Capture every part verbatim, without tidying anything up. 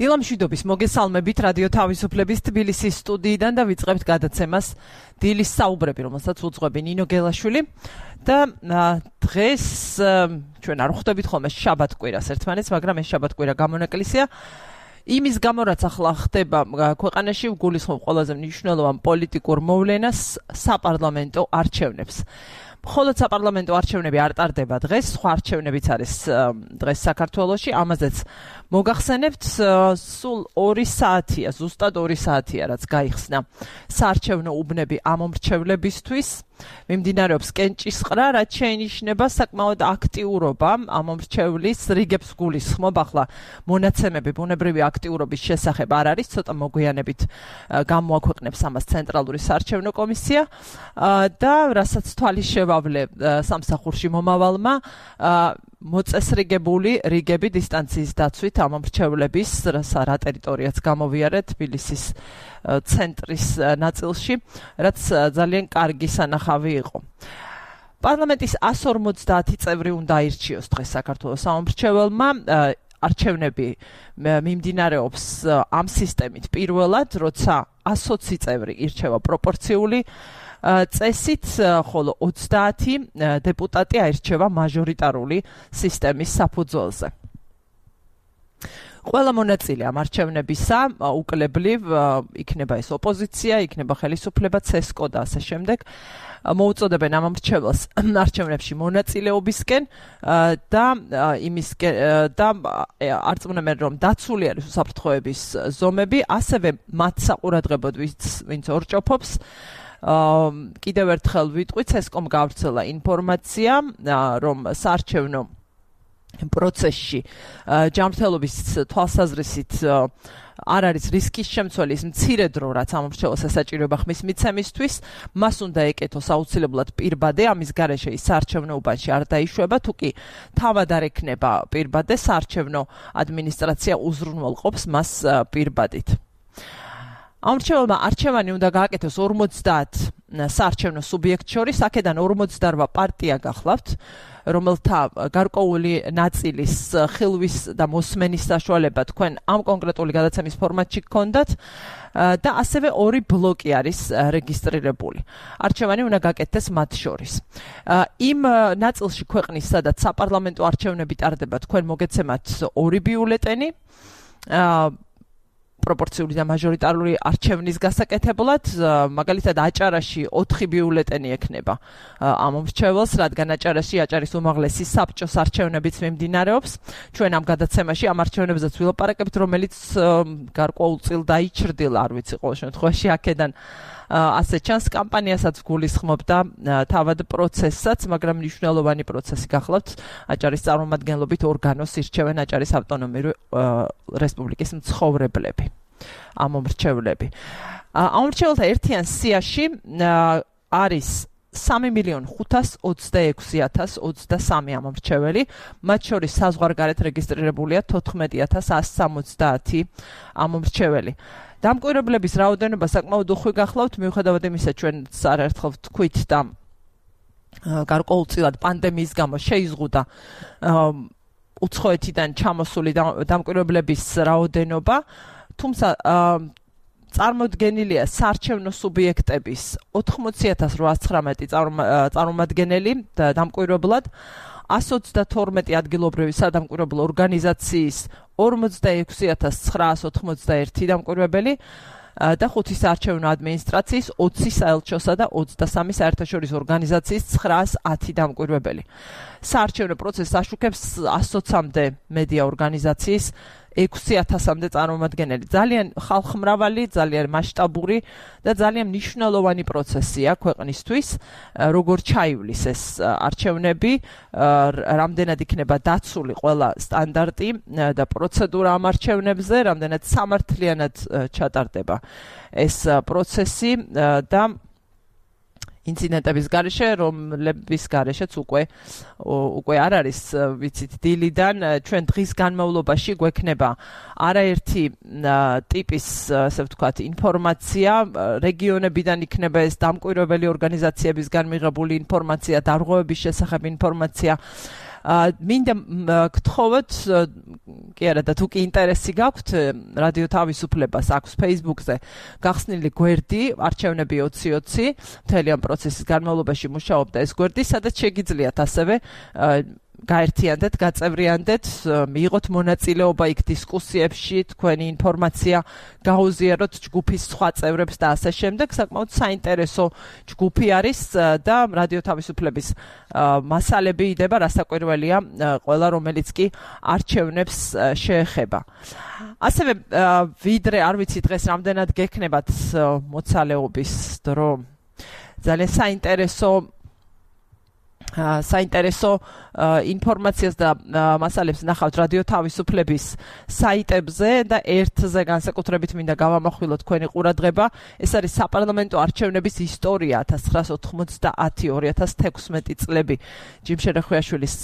დილამშვიდობის მოგესალმებით რადიო თავისუფლების თბილისის სტუდიიდან და ვიწყებთ გადაცემას დილის საუბრები, რომელსაც უძღვები ნინო გელაშვილი და დღეს ჩვენ არ ხვდებით ხოლმე შაბათ-კვირას ერთმანეთს, მაგრამ ეს შაბათ-კვირა გამონაკლისია იმის გამო, რაც ახლა ხდება ქვეყანაში, გულისხმობ ყველაზე მნიშვნელოვან პოლიტიკურ მოვლენას, საპარლამენტო არჩევნებს. მხოლოდ საპარლამენტო არჩევნები არ ტარდება დღეს, სხვა არჩევნებიც არის დღეს საქართველოში, ამაზეც მოგახსენებთ, სულ ორი საათია, ზუსტად ორი საათია, რაც გაიხსნა საარჩევნო უბნები ამომრჩევლებისთვის. მიმდინარეობს კენჭისყრა, რაც შეინიშნება საკმაოდ აქტიურობა ამომრჩევლის რიგებს გულისხმობ. ახლა მონაცემები ბუნებრივი აქტიურობის შესახებ არ არის, ცოტა მოგვიანებით გამოაქვეყნებს ამას ცენტრალური საარჩევნო კომისია და რასაც თვალის შევავლე სამსახურში მომავალმა მოწესრიგებული რიგები დისტანციის დაცვით ამომრჩევლების რა ტერიტორიაც გამოვიარეთ თბილისის ცენტრის ნაწილში, რაც ძალიან კარგი სანახავი იყო. პარლამენტის εκατს ორმოცდაათი წევრი უნდა აირჩიოს დღეს საქართველოს ამომრჩეველმა. არჩევნები მიმდინარეობს ამ სისტემით პირველად, როცა εκατს ოცი წევრი ირჩევა პროპორციული წესით, ხოლო ოცდაათი დეპუტატი აირჩევა მაჟორიტარული სისტემის საფუძველზე. ყველა მონაწილე ამ არჩევნებისა უკლებლივ იქნება ეს ოპოზიცია, იქნება ხელისუფლება, ცესკო და ასე შემდეგ. მოუწოდებენ ამომრჩეველს არჩევნებში მონაწილეობისკენ და იმისკენ და არწმუნებენ, რომ დაცული არის უსაფრთხოების ზომები, ასევე მათ საყურადღებოდ ვინც ორჭოფობს. კიდევ ერთხელ ვიტყვი, ცესკომ გავრცელა ინფორმაცია, რომ საარჩევნო პროცესში ჯანმრთელობის თვალსაზრისით არ არის რისკის შემცველი, ის მცირე დრო, რაც ამომრჩეველს ესაჭიროება ხმის მიცემისთვის, მას უნდა ეკეთოს აუცილებლად პირბადე, ამის გარეშე ის საარჩევნო უბანში არ დაიშვება, თუ კი თავად არ ექნება პირბადე, საარჩევნო ადმინისტრაცია უზრუნველყოფს მას პირბადით. ამრჩეველმა არჩევანი უნდა გააკეთოს ორმოცდაათ საარჩევნო სუბიექტ შორის, აქედან ორმოცდაორი პარტია გახლავთ, რომელთა გარკვეული ნაწილის ხილვის და მოსმენის საშუალება თქვენ ამ კონკრეტული გადაცემის ფორმატში გქონდათ და ასევე ორი ბლოკი არის რეგისტრირებული. არჩევანი უნდა გააკეთდეს მათ შორის. იმ ნაწილში ქვეყნის, სადაც საპარლამენტო არჩევნები ტარდება, თქვენ მოგეცემათ ორი ბიულეტენი, პროპორციული და მაჟორიტარული არჩევნის გასაკეთებლად, მაგალითად აჭარაში ოთხი ბიულეტენი ექნება ამომრჩეველს, რადგან აჭარაში აჭარის უმაღლესი საბჭოს არჩევნებიც მიმდინარეობს. ჩვენ ამ გადაცემაში ამ არჩევნებზეც ვილაპარაკებთ, რომელიც გარკვეულ წილ დაიჩრდილა, არ ვიცი, ყოველ შემთხვევაში აქედან ასე ჩანს კამპანიასაც გულისხმობ და თავად პროცესსაც, მაგრამ მნიშვნელოვანი პროცესი გახლავთ. აჭარის წარმომადგენლობით ორგანოს ირჩევენ აჭარის ავტონომიური რესპუბლიკის მცხოვრებლები, ამომრჩევლები. ამომრჩეველთა ერთიან სიაში არის სამი მილიონი ხუთას ოცდაექვსი ათას ოცდასამი ამომრჩეველი, მათ შორის საზღვარგარეთ რეგისტრირებულია თოთხმეტი ათას ასი სამოცდაათი ამომრჩეველი. დამკვირვებლების რაოდენობა საკმაოდ უხვი გახლავთ, მიუხედავად იმისა, ჩვენ არაერთხელ ვთქვით და გარკვეულწილად პანდემიის გამო შეიზღუდა უცხოეთიდან ჩამოსული დამკვირვებლების რაოდენობა, თუმცა წარმოდგენილია საარჩევნო სუბიექტების ოთხმოცი ათას რვაას ცხრამეტი წარმომადგენელი დამკვირვებლად, εκατს ოცდათორმეტი ადგილობრივი სადამკვირვებლო ორგანიზაციის ორმოცდაექვსი ათას ცხრაას ოთხმოცდაერთი დამკვირვებელი და ხუთი საარჩევნო ადმინისტრაციის ოცი საელჩოსა და ოცდასამი საერთაშორისო ორგანიზაციის ცხრაას ათი დამკვირვებელი. საარჩევნო პროცესს აშუქებს εκατს ოცამდე მედია ორგანიზაციის ექვსი ათასამდე წარმომადგენელი. ძალიან ხალხმრავალი, ძალიან მასშტაბური და ძალიან მნიშვნელოვანი პროცესია ქვეყნისთვის, როგორ ჩაივლის ეს არჩევნები, რამდენად იქნება დაცული ყველა სტანდარტი და პროცედურა ამ არჩევნებზე, რამდენად სამართლიანად ჩატარდება ეს პროცესი და ინციდენტების გარეშე, რომლების გარეშეც უკვე უკვე არ არის, ვიცით, დილიდან ჩვენ დღის განმავლობაში გვექნება არაერთი ტიპის, ასე ვთქვათ, ინფორმაცია, რეგიონებიდან იქნება ეს დამკვირვებელი ორგანიზაციებისგან მიღებული ინფორმაცია, დარღვევების შესახებ ინფორმაცია, მინდა გთხოვოთ კი არა და თუ კი ინტერესი გაქვთ რადიო თავისუფლებას აქვს Facebook-ზე გახსნილი გვერდი არჩევნები ოცი ოცი მთელი ამ პროცესის განმავლობაში მუშაობდა ეს გვერდი, სადაც შეგიძლიათ ასევე გაერთიანდეთ, გაწევრიანდეთ, მიიღოთ მონაწილეობა იქ დისკუსიებში, თქვენი ინფორმაცია გაუზიაროთ ჯგუფის სხვა წევრებს და ასე შემდეგ. საკმაოდ საინტერესო ჯგუფი არის და რადიო თავისუფლების მასალები იდება, რასაკვირველია, ყველა რომელიც კი არჩევნებს შეეხება. ასევე ვიდრე არ ვიცი დღეს რამდენად გექნებათ მოცალეობის დრო, ძალიან საინტერესო საინტერესო ინფორმაციას და მასალებს ნახავთ რადიო თავისუფლების საიტებზე და ერთზე განსაკუთრებით მინდა გავამახვილოთ თქვენი ყურადღება. ეს არის საპარლამენტო არჩევნების ისტორია ათას ცხრაასა ოცდაათი ორი ათას თექვსმეტი წლები. ჯიმ შერეხვიაშვილის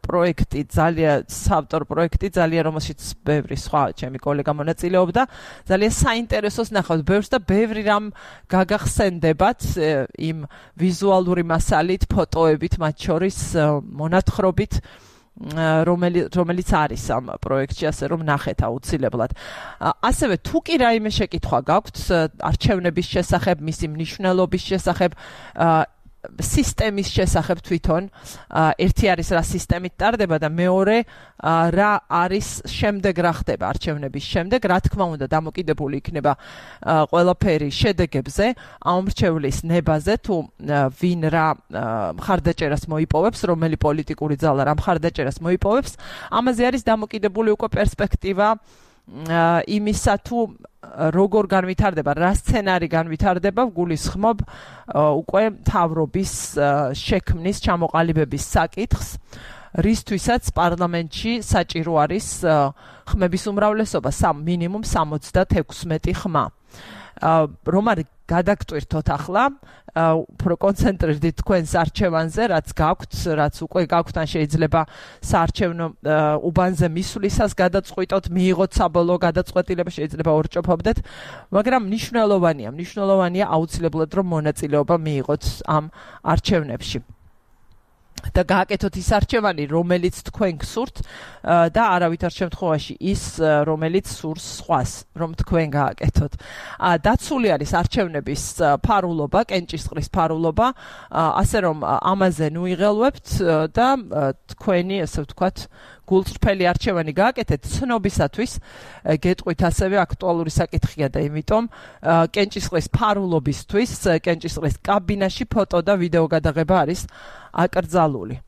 პროექტი, ძალიან საავტორ პროექტი, ძალიან რომელშიც ბევრი სხვა ჩემი კოლეგა მონაწილეობდა. ძალიან საინტერესოს ნახავთ ბევრს და ბევრი რამ გაგახსენდებათ იმ ვიზუალური მასალით, ფოტოებით, მათ შორის მონათხრობით, რომელიც არის ამ პროექტში, ასე რომ ნახეთ აუცილებლად. ასევე თუ კი რაიმე შეკითხვა გაქვთ არჩევნების შესახებ, მისი მნიშვნელობის შესახებ, სისტემის შესახებ თვითონ, ერთი არის რა სისტემით ტარდება და მეორე რა არის შემდეგ რა ხდება არჩევნების შემდეგ, რა თქმა უნდა დამოკიდებული იქნება ყველაფერი შედეგებზე, ამრჩევლის ნებაზე, თუ ვინ რა მხარდაჭერას მოიპოვებს, რომელი პოლიტიკური ძალა რა მხარდაჭერას მოიპოვებს, ამაზე არის დამოკიდებული უკვე პერსპექტივა იმისა თუ როგორ განვითარდება, რა სცენარი განვითარდება, გულისხმობ უკვე მთავრობის შექმნის, ჩამოყალიბების საკითხს, რისთვისაც პარლამენტში საჭირო არის ხმების უმრავლესობა, მინიმუმ სამოცდათექვსმეტი ხმა. რომ არ გადაგტვირთოთ ახლა, უფრო კონცენტრირდით თქვენს არჩევანზე, რაც გაქვთ, რაც უკვე გაქვთ, ან შეიძლება საარჩევნო უბანზე მისვლისას გადაწყვიტოთ, მიიღოთ საბოლოო გადაწყვეტილება, შეიძლება ორჭოფობდეთ, მაგრამ მნიშვნელოვანია, მნიშვნელოვანია აუცილებლად რომ მონაწილეობა მიიღოთ ამ არჩევნებში. და გააკეთოთ ის არჩევანი, რომელიც თქვენ გსურთ და არავითარ შემთხვევაში ის, რომელიც სურს სხვას, რომ თქვენ გააკეთოთ. დაცული არის არჩევნების ფარულობა, კენჭისყრის ფარულობა, ასე რომ ამაზე ნუიღელვებთ და თქვენი, ასე ვთქვათ, გულწრფელი არჩევანი გააკეთეთ ცნობისათვის, გეტყვით ასევე აქტუალური საკითხია და იმიტომ კენჭისყრის ფარულობისთვის, კენჭისყრის კაბინაში ფოტო და ვიდეო გადაღება არის აკრძალული.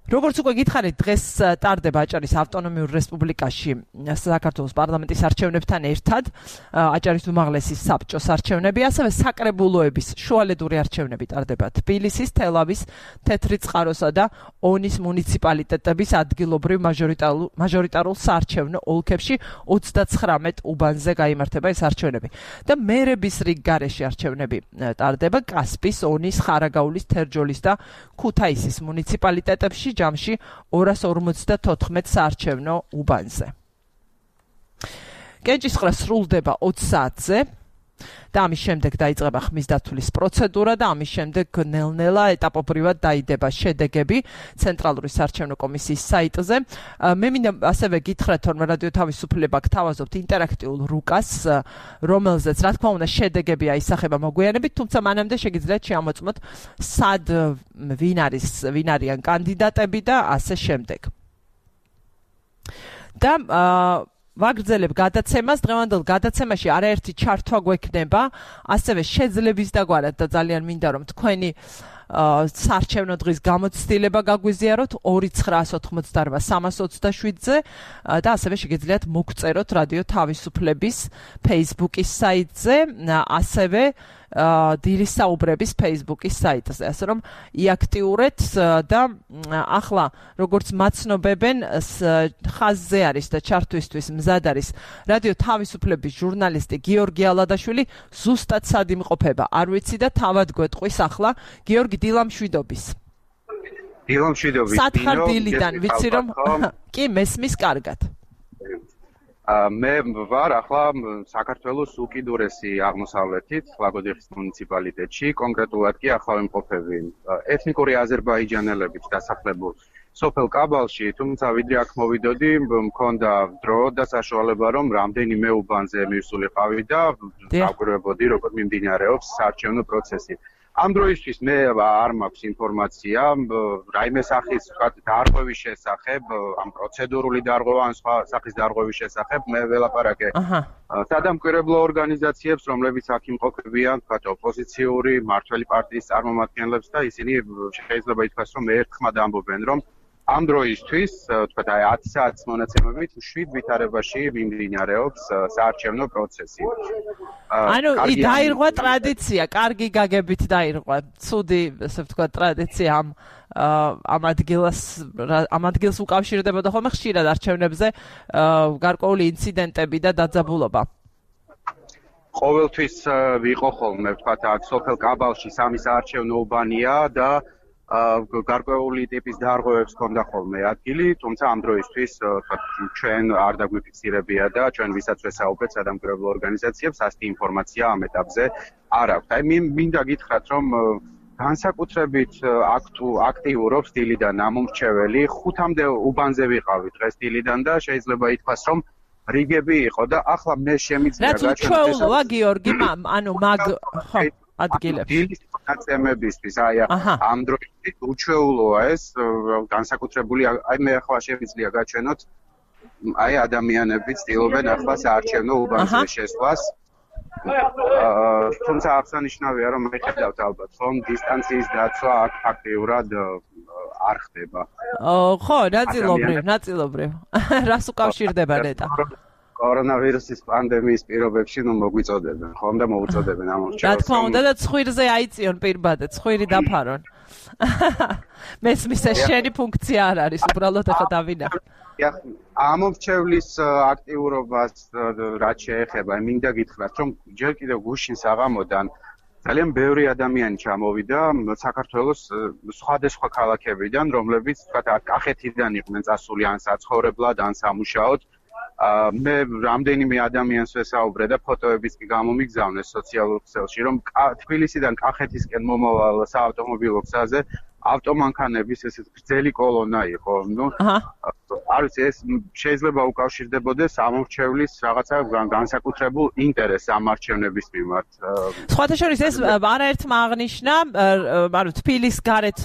როგორც უკვე გითხარით, დღეს ტარდება აჭარის ავტონომიურ რესპუბლიკაში საქართველოს პარლამენტის არჩევნებთან ერთად აჭარის უმაღლესი საბჭოს არჩევნები, ასევე საკრებულოების შუალედური არჩევნები ტარდება თბილისის, თელავის, თეთრი წყაროსა და ონის მუნიციპალიტეტების ადგილობრივ მაჟორიტარულ საარჩევნო ოლქებში ოცდაცხრამეტ უბანზე გაიმართება ეს არჩევნები. და მერების რიგ გარეშე არჩევნები ტარდება კასპის, ონის, ხარაგაულის, თერჯოლის და ქუთაისის მუნიციპალიტეტებში ჯამში ორას ორმოცდათოთხმეტ საარჩევნო უბანზე. კენჭისყრა სრულდება ოც საათზე და ამის შემდეგ დაიწყება ხმის დათვლის პროცედურა და ამის შემდეგ ნელ-ნელა ეტაპობრივად დაიდება შედეგები ცენტრალური საარჩევნო კომისიის საიტზე. მე მინდა ასევე გითხრათ, რომ რადიო თავისუფლება გთავაზობთ ინტერაქტიულ რუკას, რომელზეც რა თქმა უნდა შედეგები აისახება მოგვიანებით, თუმცა მანამდე შეგიძლიათ შეამოწმოთ სად ვინ არის, ვინ არიან კანდიდატები და ასე შემდეგ. და ვაგრძელებ გადაცემას, დღევანდელ გადაცემაში არაერთი ჩართვა გვექნება, ასევე შეძლების დაგვარად და ძალიან მინდა რომ თქვენი საარჩევნო დღის გამოცდილება გაგვიზიაროთ ორი ცხრაას ოთხმოცდარვა სამას ოცდაშვიდზე და ასევე შეგიძლიათ მოგწეროთ რადიო თავისუფლების Facebook-ის საიტზე, ასევე დილის საუბრების Facebook-ის საიტზე, ასე რომ იაქტიურეთ და ახლა როგორც მაცნობებენ ხაზზე არის და ჩართვისთვის მზად არის რადიო თავისუფლების ჟურნალისტი გიორგი ალადაშვილი, ზუსტად სად იმყოფება არ ვიცი და თავად გვეტყვის ახლა გიორგი დილამშვიდობის. დილამშვიდობის. სათხარ დილიდან ვიცი რომ კი მესმის კარგად. მე ვარ ახლა საქართველოს უკიდურესი აღმოსავლეთით, ლაგოდიხის მუნიციპალიტეტში, კონკრეტულად კი ახლა ვიმყოფები ეთნიკური აზერბაიჯანელებით დასახლებულ სოფელ კაბალში, თუმცა ვიდრე აქ მოვიდოდი, მქონდა დრო და საშუალება, რომ რამდენიმე უბანზე მივსულიყავი და დავკვირვებოდი, როგორ მიმდინარეობს საარჩევნო პროცესი. ამ დროისთვის მე არ მაქვს ინფორმაცია, რაიმე სახის დარღვევის შესახებ, ამ პროცედურული დარღვევა, ან სხვა სახის დარღვევის შესახებ მე ველაპარაკე სადამკვირვებლო ორგანიზაციებს, რომლებიც აქ იმყოფებიან, თქვათ ოპოზიციური, მმართველი პარტიის წარმომადგენლებს და ისინი შეიძლება ითქვას, რომ ერთხმად ამბობენ, რომ ამ დროისთვის, თქვათ აი ათი საათის მონაცემებით შვიდ ვითარებაში მიმდინარეობს საარჩევნო პროცესი. ანუ დაირღვა ტრადიცია, კარგი გაგებით დაირღვა. ცუდი, ესე ვთქვათ, ტრადიცია ამ ამ ადგილას ამ ადგილს უკავშირდებოდა ხოლმე ხშირად არჩევნებზე გარკვეული ინციდენტები და დაძაბულობა. ყოველთვის ვიყო ხოლმე, ვთქვათ, აქ სოფელ კაბალში სამი საარჩევნო უბანია და გარკვეული ტიპის დარღვევებს ჰქონდა ხოლმე ადგილი, თუმცა ამ დროისთვის ჩვენ არ დაგვიფიქსირებია და ჩვენ ვისაც ვესაუბრეთ სადამკვირვებლო ორგანიზაციებს, ასეთი ინფორმაცია ამ ეტაპზე არ აქვს. აი მინდა გითხრათ, რომ განსაკუთრებით აქტიურობს დილიდან ამომრჩეველი, ხუთამდე უბანზე ვიყავი დღეს დილიდან და შეიძლება ითქვას, რომ რიგები იყო და ახლა მე შემიძლია გაჩვენო. რაც უჩვეულოა, გიორგი, ანუ მაგ ხო ადგილებში. დილის მონაცემებისთვის, აი ამ დროისთვის უჩვეულოა ეს, განსაკუთრებული, აი მე ახლა შემიძლია გაჩვენოთ, აი ადამიანები ცდილობენ ახლა საარჩევნო უბანზე შესვლას. თუმცა აღსანიშნავია, რომ მე ხედავთ ალბათ, რომ დისტანციის დაცვა აქ ფაქტიურად არ ხდება. ხო, ნაწილობრივ, ნაწილობრივ. რას უკავშირდება ნეტა? კორონავირუსის პანდემიის პირობებში ნუ მოგვიწოდებენ, ხომ და მოუწოდებენ ამ ორჩევას. რა თქმა უნდა და ცხვირზე აიწიონ პირბადე, ცხვირი დაფარონ. მესმის ეს შენი ფუნქცია არ არის, უბრალოდ ახლა დავინახე. ამომრჩევლის აქტიურობას რაც შეეხება, მინდა გითხრათ, რომ ჯერ კიდევ გუშინ საღამოდან ძალიან ბევრი ადამიანი ჩამოვიდა საქართველოს სხვადასხვა ქალაქებიდან, რომლებიც თქვათ კახეთიდან იყვნენ წასული ან საცხოვრებლად, ან სამუშაოდ. მე რამდენიმე ადამიანს ვესაუბრე და ფოტოებიც კი გამომიგზავნეს სოციალურ ქსელში, რომ თბილისიდან კახეთისკენ მომავალ საავტომობილო გზაზე ავტომანქანების ესეთ გრძელი კოლონა იყო. ნუ არ ვიცი, ეს შეიძლება უკავშირდებოდეს ამორჩევლის რაღაცა განსაკუთრებულ ინტერესს ამ არჩევნების მიმართ. სხვათა შორის ეს არაერთმა აღნიშნა, ანუ თბილის გარეთ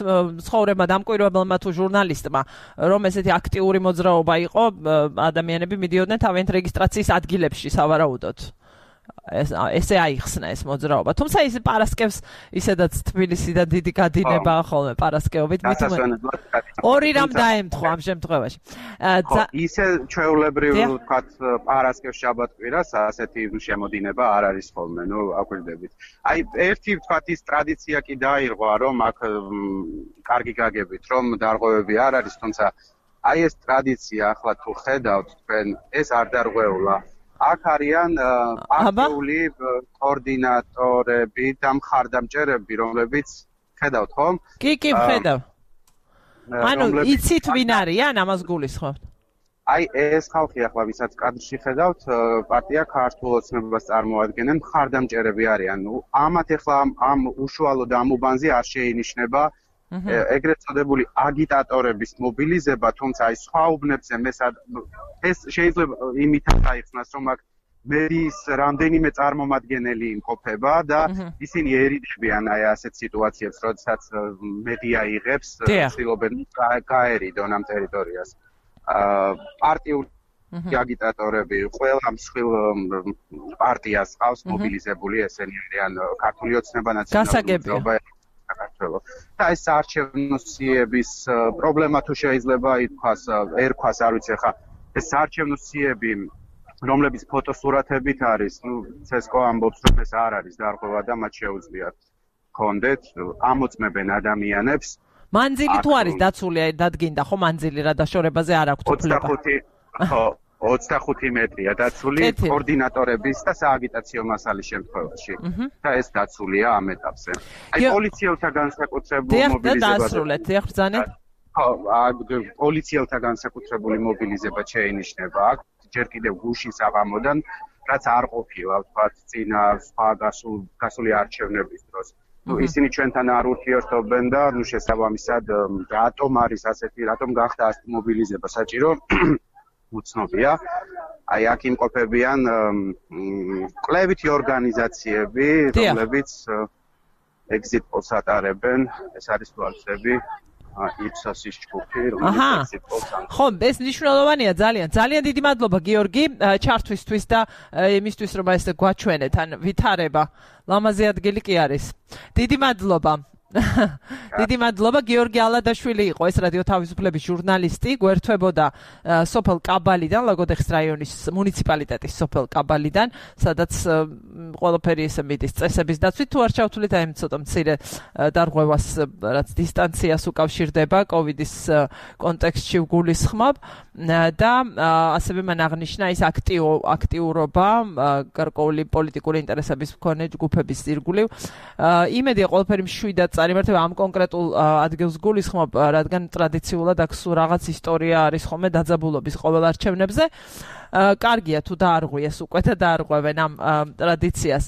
ცხოვრება დამკვირვებელმა თუ ჟურნალისტმა, რომ ესეთი აქტიური მოძრაობა იყო, ადამიანები მიდიოდნენ თავიანთ რეგისტრაციის ადგილებში სავარაუდოდ. ესე აიხსნა ეს მოძრაობა. თუმცა ის პარასკევს ისედაც თბილისიდან დიდი გადინება ხოლმე პარასკევობით მithme ორი რამ დაემთხვა ამ შემთხვევაში. ისე ჩვეულებრივ ვთქვათ პარასკევს შაბათ-კვირას ასეთი შემოდინება არ არის ხოლმე, ნუ აკვირდებით. აი ერთი ვთქვათ ის ტრადიცია კი დაირღვა, რომ აქ კარგი გაგებით, რომ დარღვევები არ არის, თუმცა აი ეს ტრადიცია ახლა თუ ხედავთ თქვენ, ეს არ დარღვეულა. აქ არიან პარტიული კოორდინატორები და მხარდამჭერები, რომლებიც ხედავთ ხომ? კი, კი, ხედავ. ანუ იცით ვინ არიან, ამას გულისხმობთ? აი ეს ხალხი ახლა ვისაც კადრში ხედავთ, პარტია ქართულ ოცნებას წარმოადგენენ, მხარდამჭერები არიან. ამათ ახლა ამ უშუალოდ ამ უბანზე არ შეინიშნება ეგრეთ წოდებული აგიტატორების მობილიზება, თუმცა აი სხვა უბნებზე მე ეს შეიძლება იმითაც აიხსნას, რომ აქ მედიის რამდენიმე წარმომადგენელი იმყოფება და ისინი ერიდებიან აი ასეთ სიტუაციებს, როდესაც მედია იღებს, ცდილობენ გაერიდონ ამ ტერიტორიას. პარტიული აგიტატორები ყველა მსხვილ პარტიას ყავს მობილიზებული, ესენი არიან ქართული ოცნება, ნაციონალური მოძრაობა საქართველოს. და ეს საარჩევნო სიების პრობლემა თუ შეიძლება ითქვას, ერქვას, არ ვიცი ხა, ეს საარჩევნო სიები, რომლებიც ფოტოსურათებით არის, ნუ ცესკო ამბობს, რომ ეს არ არის დარღვევა და მათ შეუძლიათ კონდეთ, ამოწმებენ ადამიანებს. მანძილი თუ არის დაცული, დადგინდა ხო მანძილი რა დაშორებაზე არ აქვს უფლება. ხო, ოცდახუთი მეტრია დაცული კოორდინატორების და სააგიტაციო მასალის შემთხვევაში. და ეს დაცულია ამ ეტაპზე. აი პოლიციელთა განსაკუთრებული მობილიზება. და დაასრულეთ, ეხრძანეთ. ხო, პოლიციელთა განსაკუთრებული მობილიზება შეინიშნება აქ. ჯერ კიდევ გუშინ საღამოდან, რაც არ ყოფილა, ვთქვათ, წინა სხვა გასული არჩევნების დროს. ნუ ისინი ჩვენთან არ ურთიერთობენ და ნუ შესაბამისად რატომ არის ასეთი, რატომ გახდა ასეთი მობილიზება საჭირო? უცნობია. აი აქ იმყოფებიან კლებითი ორგანიზაციები, რომლებიც exit polls ატარებენ, ეს არის თვალსები, იფსოსის ჯგუფი, რომელიც exit polls ატარებს. ხო, ეს მნიშვნელოვანია ძალიან. ძალიან დიდი მადლობა გიორგი ჩართვისთვის და იმისთვის რომ ეს გვაჩვენეთ, ან ვითარება. ლამაზი ადგილი კი არის. დიდი მადლობა. დიდი მადლობა გიორგი ალადაშვილი იყო ეს რადიო თავისუფლების ჟურნალისტი გვერდთვებოდა სოფელ კაბალიდან ლაგოდეხის რაიონის მუნიციპალიტეტის სოფელ კაბალიდან სადაც ყველაფერი ესე მიდის წესების დაცვით თუ არ ჩავთვლით აი ცოტა მცირე დარღვევას რაც დისტანციას უკავშირდება კოვიდის კონტექსტში გულისხმობ და ასევე მან აღნიშნა ის აქტიურობა გარკვეული პოლიტიკური ინტერესების მქონე ჯგუფების ირგვლივ იმედია ყველაფერი მშვიდად წარიმართება ამ კონკრეტულ ადგილს გულისხმობ, რადგან ტრადიციულად აქ სულ რაღაც ისტორია არის ხოლმე დაძაბულობის ყოველ არჩევნებზე. კარგია თუ დაარღვიეს უკვე და დაარღვევენ ამ ტრადიციას.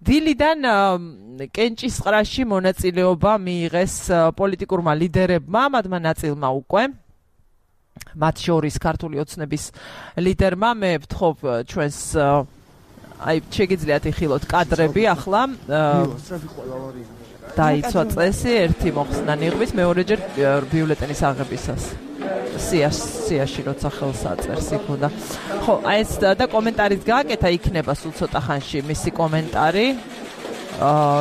დილიდან კენჭისყრაში მონაწილეობა მიიღეს პოლიტიკურმა ლიდერებმა, მათმა ნაწილმა უკვე. მათ შორის ქართული ოცნების ლიდერმა მე ვთხოვ ჩვენს აი შეგიძლიათ იხილოთ კადრები ახლა დაიცვა წესი ერთი მოხსნა ნიღბის მეორეჯერ ბიულეტენის აღებისას სიაში როცა ხელს აწერს იქ უნდა ხო აი ეს და კომენტარიც გააკეთა იქნება სულ ცოტა ხანში მისი კომენტარი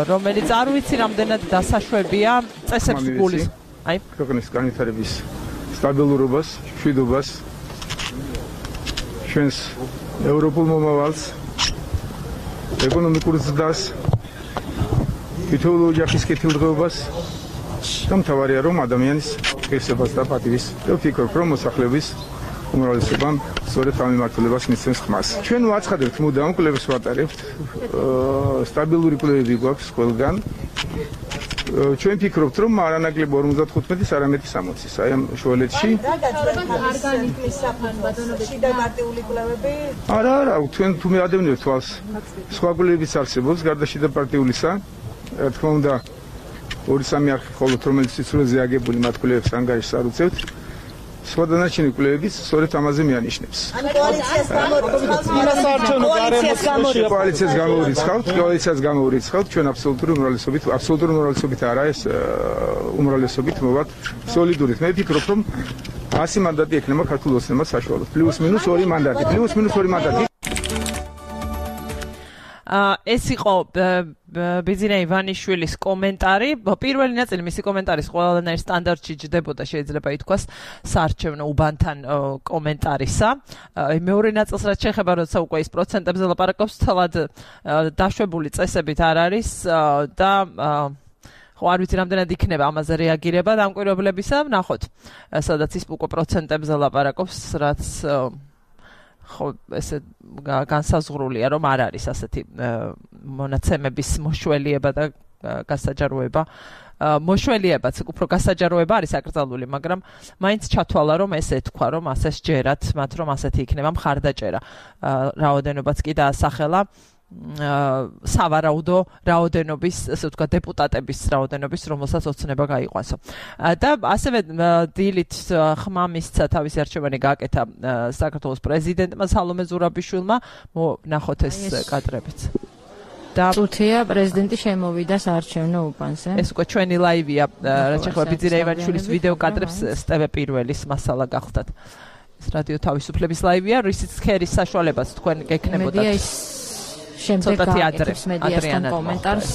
რომელიც არ ვიცი რამდენად დასაშვებია წესებს გულის აი ქვეყნის განვითარების სტაბილურობას მშვიდობას ჩვენს ევროპულ მომავალს ეკონომიკურ ზრდას თითოეულ ოჯახის კეთილდღეობას და მთავარია რომ ადამიანის ღირსებას და პატივის და ვფიქრობ რომ მოსახლეობის უმრავლესობამ სწორედ ამ მიმართულებას მისცემს ხმას. ჩვენ ვაცხადებთ მუდამ კვლევებს ვატარებთ სტაბილური კვლევები გვაქვს ყველგან ჩვენ ფიქრობთ რომ არანაკლებ ორმოცდათხუთმეტის არამედ სამოცის აი ამ შუალედში ორგანიზმის საფანბატონობაში და პარტიული კვლევები არა არა თქვენ თუ მეადევნებთ თვალს სხვა კვლევებიც არსებობს გარდა შიდა პარტიულისა რა თქმა უნდა ორი სამი არხი მხოლოდ რომელიც სიცრუეზე აგებული მათ კვლევებს ანგარიშს არ უწევთ სხვა დანარჩენი კვლევებიც სწორედ ამაზე მეანიშნებს. ან კოალიციას გამორიცხავთ, კოალიციას გამორიცხავთ, კოალიციას გამორიცხავთ, ჩვენ აბსოლუტური უმრავლესობით, აბსოლუტური უმრავლესობით არა ეს უმრავლესობით მოვართ სოლიდურით. მე ვფიქრობ რომ ასი მანდატი ექნება ქართულ ოცნებას საშუალოდ. პლუს მინუს ორი მანდატი, პლუს მინუს ორი მანდატი. ეს იყო ბიძინა ივანიშვილის კომენტარი. პირველი ნაწილი მისი კომენტარის ყველანაირ სტანდარტში ჯდებოდა, შეიძლება ითქვას, საარჩევნო უბანთან კომენტარისა. მეორე ნაწილს რაც შეეხება, როცა უკვე ის პროცენტებზე ლაპარაკობს, თლად დაშვებული წესებით არ არის და ხო არ ვიცი რამდენად იქნება ამაზე რეაგირება დამკვირვებლებისა. ნახოთ, სადაც ის უკვე პროცენტებზე ლაპარაკობს, რაც ხო ესე განსაზღვრულია რომ არ არის ასეთი მონაცემების მოშველიება და გასაჯაროება მოშველიებაც უფრო გასაჯაროება არის აკრძალული მაგრამ მაინც ჩათვალა რომ ეს ეთქვა რომ ასე სჯერათ მათ რომ ასეთი იქნება მხარდაჭერა რაოდენობაც კი დაასახელა სავარაუდო რაოდენობის, ასე ვთქვათ, დეპუტატების რაოდენობის, რომელსაც ოცნება გაიყვანსო. და ასევე დილით ხმა მისცა თავისი არჩევანი გააკეთა საქართველოს პრეზიდენტმა სალომე ზურაბიშვილმა, ნახოთ ეს კადრებიც. და წუთია პრეზიდენტი შემოვიდა საარჩევნო უბანზე. ეს უკვე ჩვენი ლაივია, რაც შეეხება ბიძინა ივანიშვილის ვიდეო კადრებს სტევე პირველის მასალა გახდათ. ეს რადიო თავისუფლების ლაივია, რისიც ხერის საშუალებას თქვენ გექნებოდათ. შემდეგ გააკეთებს მედიასთან კომენტარს.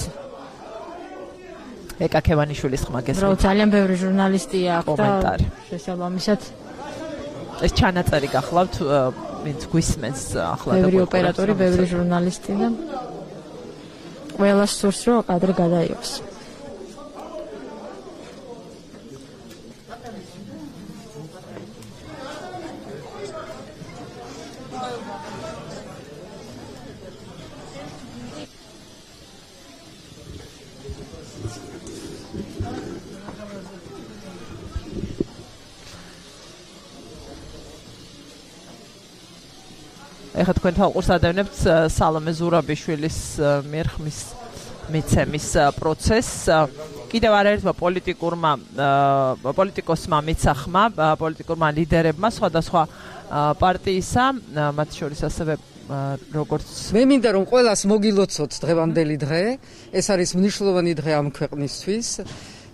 ეკა ქევანიშვილის ხმა გესმით. რო ძალიან ბევრი ჟურნალისტია აქ კომენტარი. შესაბამისად ეს ჩანაწერი გახლავთ, ვინც გვისმენს ახლა და ბევრი ოპერატორი, ბევრი ჟურნალისტი და ყველას სურს რომ კადრი გადაიღოს. ეხლა თქვენ თვალყურს ადევნებთ სალომე ზურაბიშვილის მიერ ხმის მიცემის პროცესს. კიდევ არაერთმა პოლიტიკურმა პოლიტიკოსმა მიცა ხმა პოლიტიკურმა ლიდერებმა სხვადასხვა პარტიისა, მათ შორის ასევე როგორც მე მინდა რომ ყველას მოგილოცოთ დღევანდელი დღე, ეს არის მნიშვნელოვანი დღე ამ ქვეყნისთვის.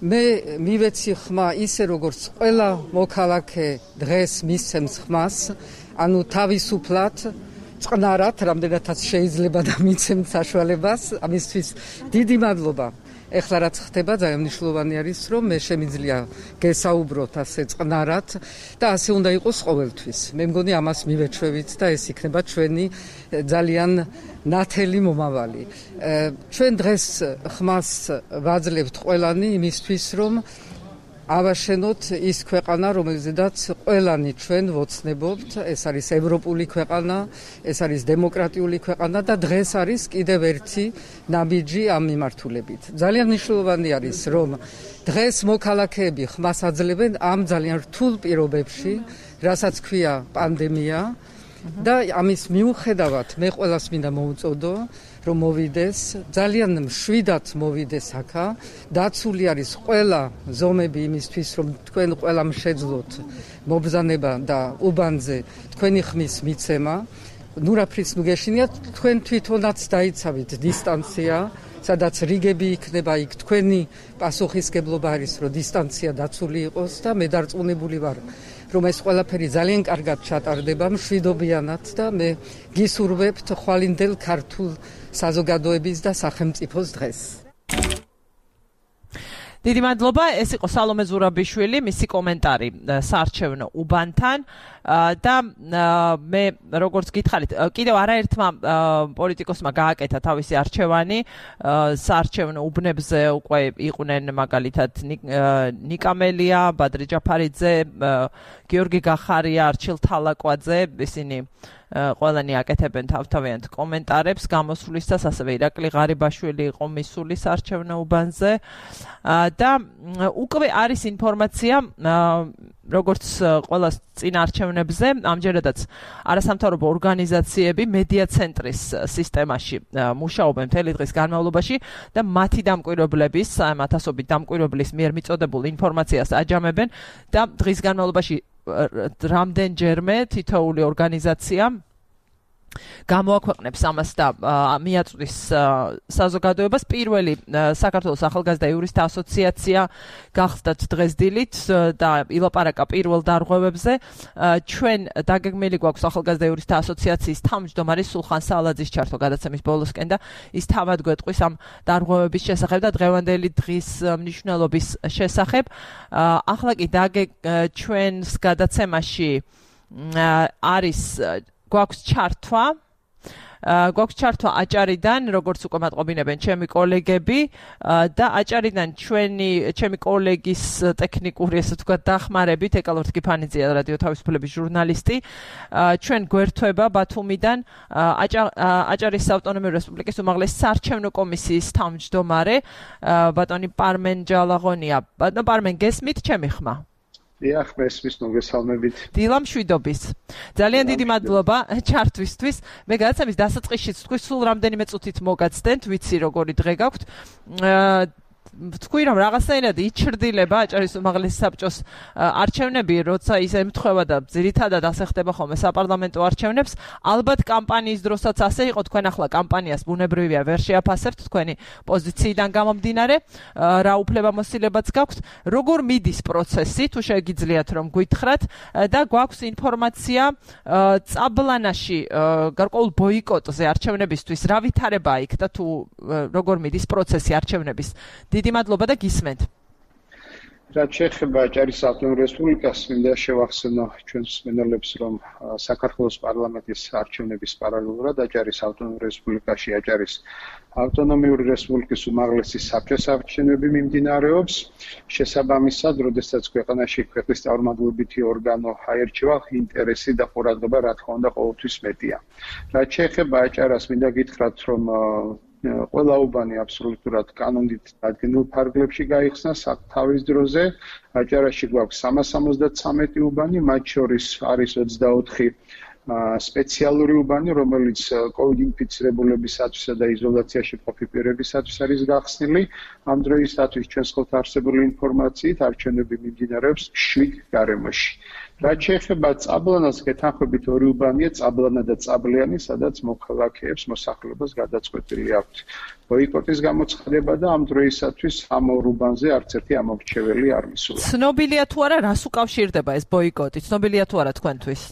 მე მივეცი ხმა ისე როგორც ყველა მოქალაქე დღეს მისცემს ხმას, ანუ თავისუფლად, წყნარად, რამდენადაც შეიძლება და მიცემთ საშუალებას, ამისთვის დიდი მადლობა. ეხლა რაც ხდება ძალიან მნიშვნელოვანი არის რომ მე შემიძლია გესაუბროთ ასე წყნარად და ასე უნდა იყოს ყოველთვის. მე მგონი ამას მივეჩვევით და ეს იქნება ჩვენი ძალიან ნათელი მომავალი. ჩვენ დღეს ხმას ვაძლევთ ყველანი იმისთვის რომ ავაშენოთ ის ქვეყანა, რომელზედაც ყველანი ჩვენ ვოცნებობთ, ეს არის ევროპული ქვეყანა, ეს არის დემოკრატიული ქვეყანა და დღეს არის კიდევ ერთი ნაბიჯი ამ მიმართულებით. ძალიან მნიშვნელოვანი არის, რომ დღეს მოქალაქეები ხმას აძლევენ ამ ძალიან რთულ პირობებში, რასაც ქვია პანდემია და ამის მიუხედავად მე ყველას მინდა მოუწოდო, რომ მოვიდეს, ძალიან მშვიდად მოვიდეს აქა, დაცული არის ყველა ზომები იმისთვის, რომ თქვენ ყველამ შეძლოთ მობრძანება და უბანზე თქვენი ხმის მიცემა. ნუ რაფრის ნუ გეშინიათ, თქვენ თვითონაც დაიცავით დისტანცია, სადაც რიგები იქნება იქ თქვენი პასუხისგებლობა არის, რომ დისტანცია დაცული იყოს და მე დარწმუნებული ვარ, რომ ეს ყველაფერი ძალიან კარგად ჩატარდება მშვიდობიანად და მე გისურვებთ ხვალინდელ ქართულ საზოგადოების და სახელმწიფოს დღეს. დიდი მადლობა, ეს იყო სალომე ზურაბიშვილი, მისი კომენტარი საარჩევნო უბანთან და მე როგორც გითხარით, კიდევ არაერთმა პოლიტიკოსმა გააკეთა თავისი არჩევანი, საარჩევნო უბნებზე უკვე იყვნენ მაგალითად ნიკამელია, ბადრი ჯაფარიძე, გიორგი გახარია, არჩილ თალაკვაძე, ისინი ყველანი აკეთებენ თავთავიანთ კომენტარებს გამოსვლისას, ასევე ირაკლი ღარიბაშვილი იყო მისული საარჩევნო უბანზე და უკვე არის ინფორმაცია როგორც ყველა წინა არჩევნებზე, ამჯერადაც არასამთავრობო ორგანიზაციები მედია ცენტრის სისტემაში მუშაობენ მთელი დღის განმავლობაში და მათი დამკვირვებლების, ათასობით დამკვირვებლის მიერ მიწოდებულ ინფორმაციას აჯამებენ და დღის განმავლობაში რამდენჯერმე თითოეული ორგანიზაცია გამოაქვეყნებს ამას და მიაწვდის საზოგადოებას. პირველი საქართველოს ახალგაზრდა იურისტთა ასოციაცია გახსდათ დღეს დილით და ილაპარაკა პირველ დარღვევებზე. ჩვენ დაგეგმილი გვაქვს ახალგაზრდა იურისტთა ასოციაციის თავმჯდომარის სულხან სალაძის ჩართვა გადაცემის ბოლოსკენ და ის თავად გვეტყვის ამ დარღვევების შესახებ და დღევანდელი დღის მნიშვნელობის შესახებ. ახლა კი ჩვენს გადაცემაში არის გვაქვს ჩართვა, გვაქვს ჩართვა აჭარიდან, როგორც უკვე მატყობინებენ ჩემი კოლეგები და აჭარიდან ჩვენი ჩემი კოლეგის ტექნიკური, ესე ვთქვათ, დახმარებით, ეკალორთ კიფანიძია, რადიო თავისუფლების ჟურნალისტი, ჩვენ გვერთვება ბათუმიდან აჭარის საავტონომიო რესპუბლიკის უმაღლესი საარჩევნო კომისიის თავმჯდომარე ბატონი პარმენ ჯალაღონია. ბატონო პარმენ, გესმით ჩემი ხმა? დიახ, მესმის, მოგესალმებით. დილა მშვიდობის. ძალიან დიდი მადლობა ჩართვისთვის. მე გადაცემის დასაწყისშიც თქვი, სულ რამდენიმე წუთით მოგაცდენთ, ვიცი როგორი დღე გაქვთ. თქვი რომ რაღაცნაირად იჩრდილება აჭარის უმაღლესი საბჭოს არჩევნები, როცა ის ემთხვევა და ძირითადად ასე ხდება ხოლმე საპარლამენტო არჩევნებს. ალბათ კამპანიის დროსაც ასე იყო, თქვენ ახლა კამპანიას ბუნებრივია ვერ შეაფასებთ თქვენი პოზიციიდან გამომდინარე, რა უფლებამოსილებაც გაქვთ. როგორ მიდის პროცესი, თუ შეგიძლიათ რომ გვითხრათ და გვაქვს ინფორმაცია წაბლანაში გარკვეულ ბოიკოტზე არჩევნებისთვის, რა ვითარებაა იქ და თუ როგორ მიდის პროცესი არჩევნების. დიდი მადლობა და გისმენთ. რაც შეეხება აჭარის ავტონომიურ რესპუბლიკას, მინდა შევახსენო ჩვენს მსმენელებს, რომ საქართველოს პარლამენტის არჩევნების პარალელურად აჭარის ავტონომიურ რესპუბლიკაში აჭარის ავტონომიური რესპუბლიკის უმაღლესი საბჭოს არჩევნები მიმდინარეობს. შესაბამისად, როდესაც ქვეყანაში ქვეყნის წარმომადგენლობითი ორგანო აერჩევა, ინტერესი და ყურადღება რა თქმა უნდა ყოველთვის მეტია. რაც შეეხება აჭარას, მინდა გითხრათ, რომ ყველა უბანი აბსოლუტურად კანონით დადგენილ ფარგლებში გაიხსნა თავის დროზე. აჭარაში გვაქვს სამას სამოცდათვრამეტი უბანი, მათ შორის არის ოცდაოთხი სპეციალური უბანი, რომელიც კოვიდ ინფიცირებულებისათვისა და იზოლაციაში მყოფი პირებისათვის არის გახსნილი. ამ დროისათვის ჩვენს ხელთ არსებული ინფორმაციით არჩევნები მიმდინარეობს შვიდ გარემოში. რაც შეეხება წაბლანას, გეთანხმებით ორი უბანია, წაბლანა და წაბლიანი, სადაც მოქალაქეებს მოსახლეობას გადაწყვეტილი აქვთ ბოიკოტის გამოცხადება და ამ დროისათვის ამ ორ უბანზე არც ერთი ამორჩეველი არ მისულა. ცნობილია თუ არა რას უკავშირდება ეს ბოიკოტი? ცნობილია თუ არა თქვენთვის?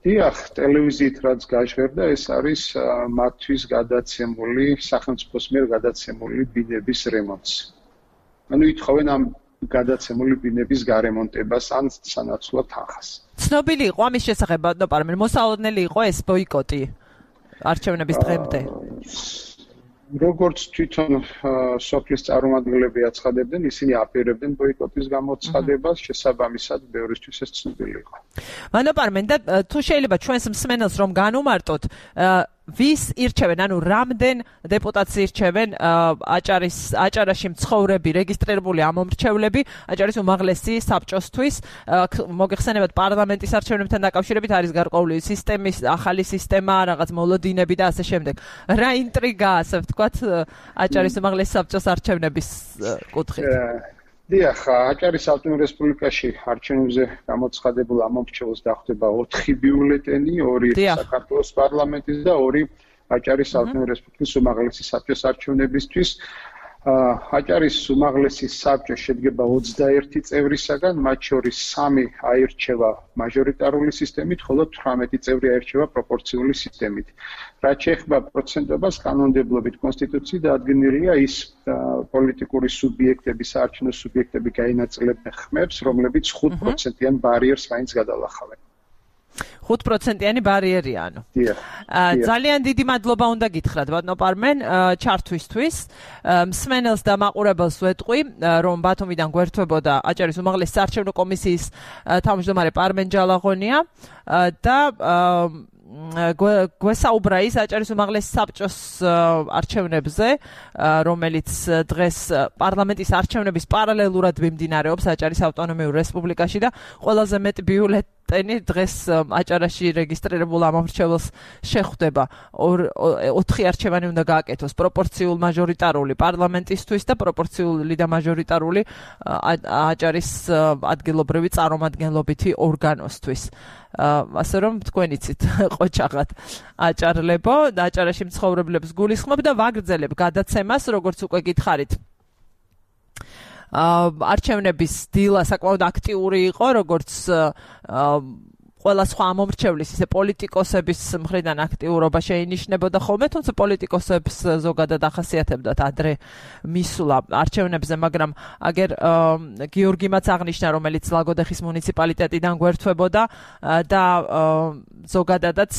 დიახ, ტელევიზიით რაც გაჟღერდა, ეს არის მათთვის გადაცემული, სახელმწიფოს მიერ გადაცემული ბინების რემონტს. ანუ ითხოვენ ამ გადაცემული ბინების გარემონტებას ან სანაცვლოდ თანხას. ცნობილი იყო ამის შესახებ, ბატონო პარმენ, მოსალოდნელი იყო ეს ბოიკოტი არჩევნების დღემდე? როგორც თვითონ სოფლის წარმომადგენლები აცხადებდნენ, ისინი აპირებდნენ ბოიკოტის გამოცხადებას, შესაბამისად ბევრისთვის ეს ცნობილი იყო. ბატონო პარმენ, და თუ შეიძლება ჩვენს მსმენელს რომ განუმარტოთ, ვის ირჩევენ, ანუ რამდენ დეპუტატს ირჩევენ აჭარის აჭარაში მცხოვრები რეგისტრირებული ამომრჩევლები აჭარის უმაღლესი საბჭოსთვის, მოგეხსენებათ პარლამენტის არჩევნებთან დაკავშირებით არის გარკვეული სისტემის ახალი სისტემა, რაღაც მოლოდინები და ასე შემდეგ. რა ინტრიგაა, ასე ვთქვათ, აჭარის უმაღლესი საბჭოს არჩევნების კუთხით? დიახ, აჭარის ავტონომიურ რესპუბლიკაში არჩევნებზე გამოცხადებულ ამომრჩეველს დახვდება ოთხი ბიულეტენი, ორი საქართველოს პარლამენტის და ორი აჭარის ავტონომიურ რესპუბლიკის უმაღლესი საბჭოს არჩევნებისთვის. აჭარის უმაღლესი საბჭო შედგება ოცდაერთი წევრისაგან, მათ შორის სამი აირჩევა მაჟორიტარული სისტემით, ხოლო თვრამეტი წევრი აირჩევა პროპორციული სისტემით. რაც შეეხება პროცენტობას, კანონმდებლობით კონსტიტუციით დადგენილია ის პოლიტიკური სუბიექტები, საარჩევნო სუბიექტები გაინაწილებენ ხმებს, რომლებიც ხუთ პროცენტიან ბარიერს მაინც გადალახავენ. ხუთ პროცენტიანი ბარიერი ანუ. ძალიან დიდი მადლობა უნდა გითხრათ, ბატონო პარმენ, ჩართვისთვის. მსმენელს და მაყურებელს ვეტყვი, რომ ბათუმიდან გვერდთვებოდა აჭარის უმაღლესი საარჩევნო კომისიის თავმჯდომარე პარმენ ჯალაღონია და გვესაუბრა ის აჭარის უმაღლესი საბჭოს არჩევნებზე, რომელიც დღეს პარლამენტის არჩევნების პარალელურად მიმდინარეობს აჭარის ავტონომიურ რესპუბლიკაში და ყველაზე მეტი ბიულეტენი დღეს აჭარაში რეგისტრირებულ ამომრჩეველს შეხვდება. ოთხი არჩევანი უნდა გააკეთოს, პროპორციულ მაჟორიტარული პარლამენტისთვის და პროპორციული და მაჟორიტარული აჭარის ადგილობრივი წარმომადგენლობითი ორგანოსთვის. ასე რომ თქვენ იცით ყოჩაღად აჭარლებო და აჭარაში მცხოვრებლებს გულისხმობ და ვაგრძელებ გადაცემას, როგორც უკვე გითხარით. არჩევნების დილა საკმაოდ აქტიური იყო, როგორც ყველა სხვა ამომრჩევლის, ისე პოლიტიკოსების მხრიდან აქტიურობა შეინიშნებოდა ხოლმე, თუმცა პოლიტიკოსებს ზოგადად ახასიათებდათ ადრე მისვლა არჩევნებზე, მაგრამ აგერ გიორგიმაც აღნიშნა, რომელიც ლაგოდეხის მუნიციპალიტეტიდან გვერდთვებოდა და ზოგადადაც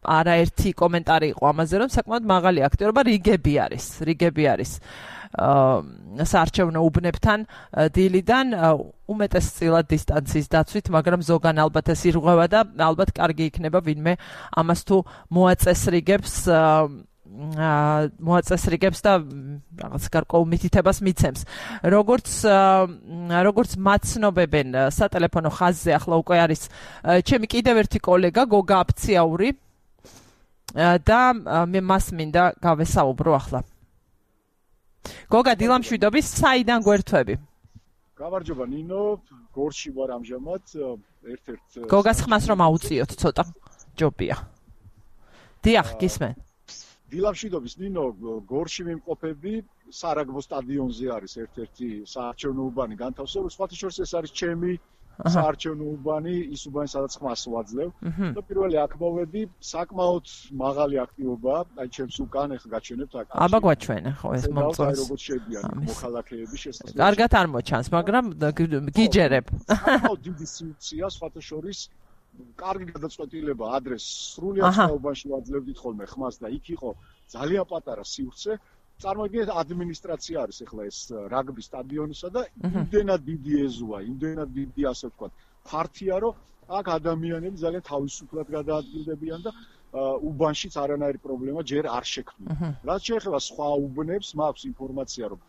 არაერთი კომენტარი იყო ამაზე, რომ საკმაოდ მაღალი აქტიურობა რიგები არის, რიგები არის. საარჩევნო უბნებთან დილიდან უმეტესწილად დისტანციის დაცვით, მაგრამ ზოგან ალბათ ეს ირღვევა და ალბათ კარგი იქნება ვინმე ამას თუ მოაწესრიგებს მოაწესრიგებს და რაღაც გარკვეულ მითითებას მიცემს. როგორც როგორც მაცნობებენ სატელეფონო ხაზზე, ახლა უკვე არის ჩემი კიდევ ერთი კოლეგა გოგა აფციაური და მე მას მინდა გავესაუბრო ახლა. გოგა, დილამშვიდობის, საიდან გვერდთვები? გამარჯობა ნინო, გორში ვარ ამჟამად, ერთ-ერთ გოგას ხმას რომ აუწიოთ ცოტა, ჯობია. დიახ, გისმენ. დილამშვიდობის ნინო, გორში ვიმყოფები, სარაგბო სტადიონზე არის ერთ-ერთი საარჩევნო უბანი განთავსებული, სხვათა შორის ეს არის ჩემი საარჩევნო უბანი, ის უბანი სადაც ხმას ვაძლევ. და პირველი აქ მოვედი, საკმაოდ მაღალი აქტივობაა, აი ჩემს უკან ახლა გაჩვენებთ აქ. აბა გვაჩვენე ხო ეს მომწონს. როგორც შედიან მოქალაქეები შესაძლოა. კარგად არ მოჩანს, მაგრამ გიჯერებ. საკმაოდ დიდი სიუცია, სხვათა შორის კარგი გადაწყვეტილება ადრეს სრულად საუბანში ვაძლევდით ხოლმე ხმას და იქ იყო ძალიან პატარა სივრცე. წარმოიდგინეთ, ადმინისტრაცია არის ახლა ეს რაგბი სტადიონისა და იმდენად დიდი ეზოა, იმდენად დიდი ასე ვთქვათ, ფართია, რომ აქ ადამიანები ძალიან თავისუფლად გადაადგილდებიან და უბანშიც არანაირი პრობლემა ჯერ არ შექმნია. რაც შეეხება სხვა უბნებს, მაქვს ინფორმაცია, რომ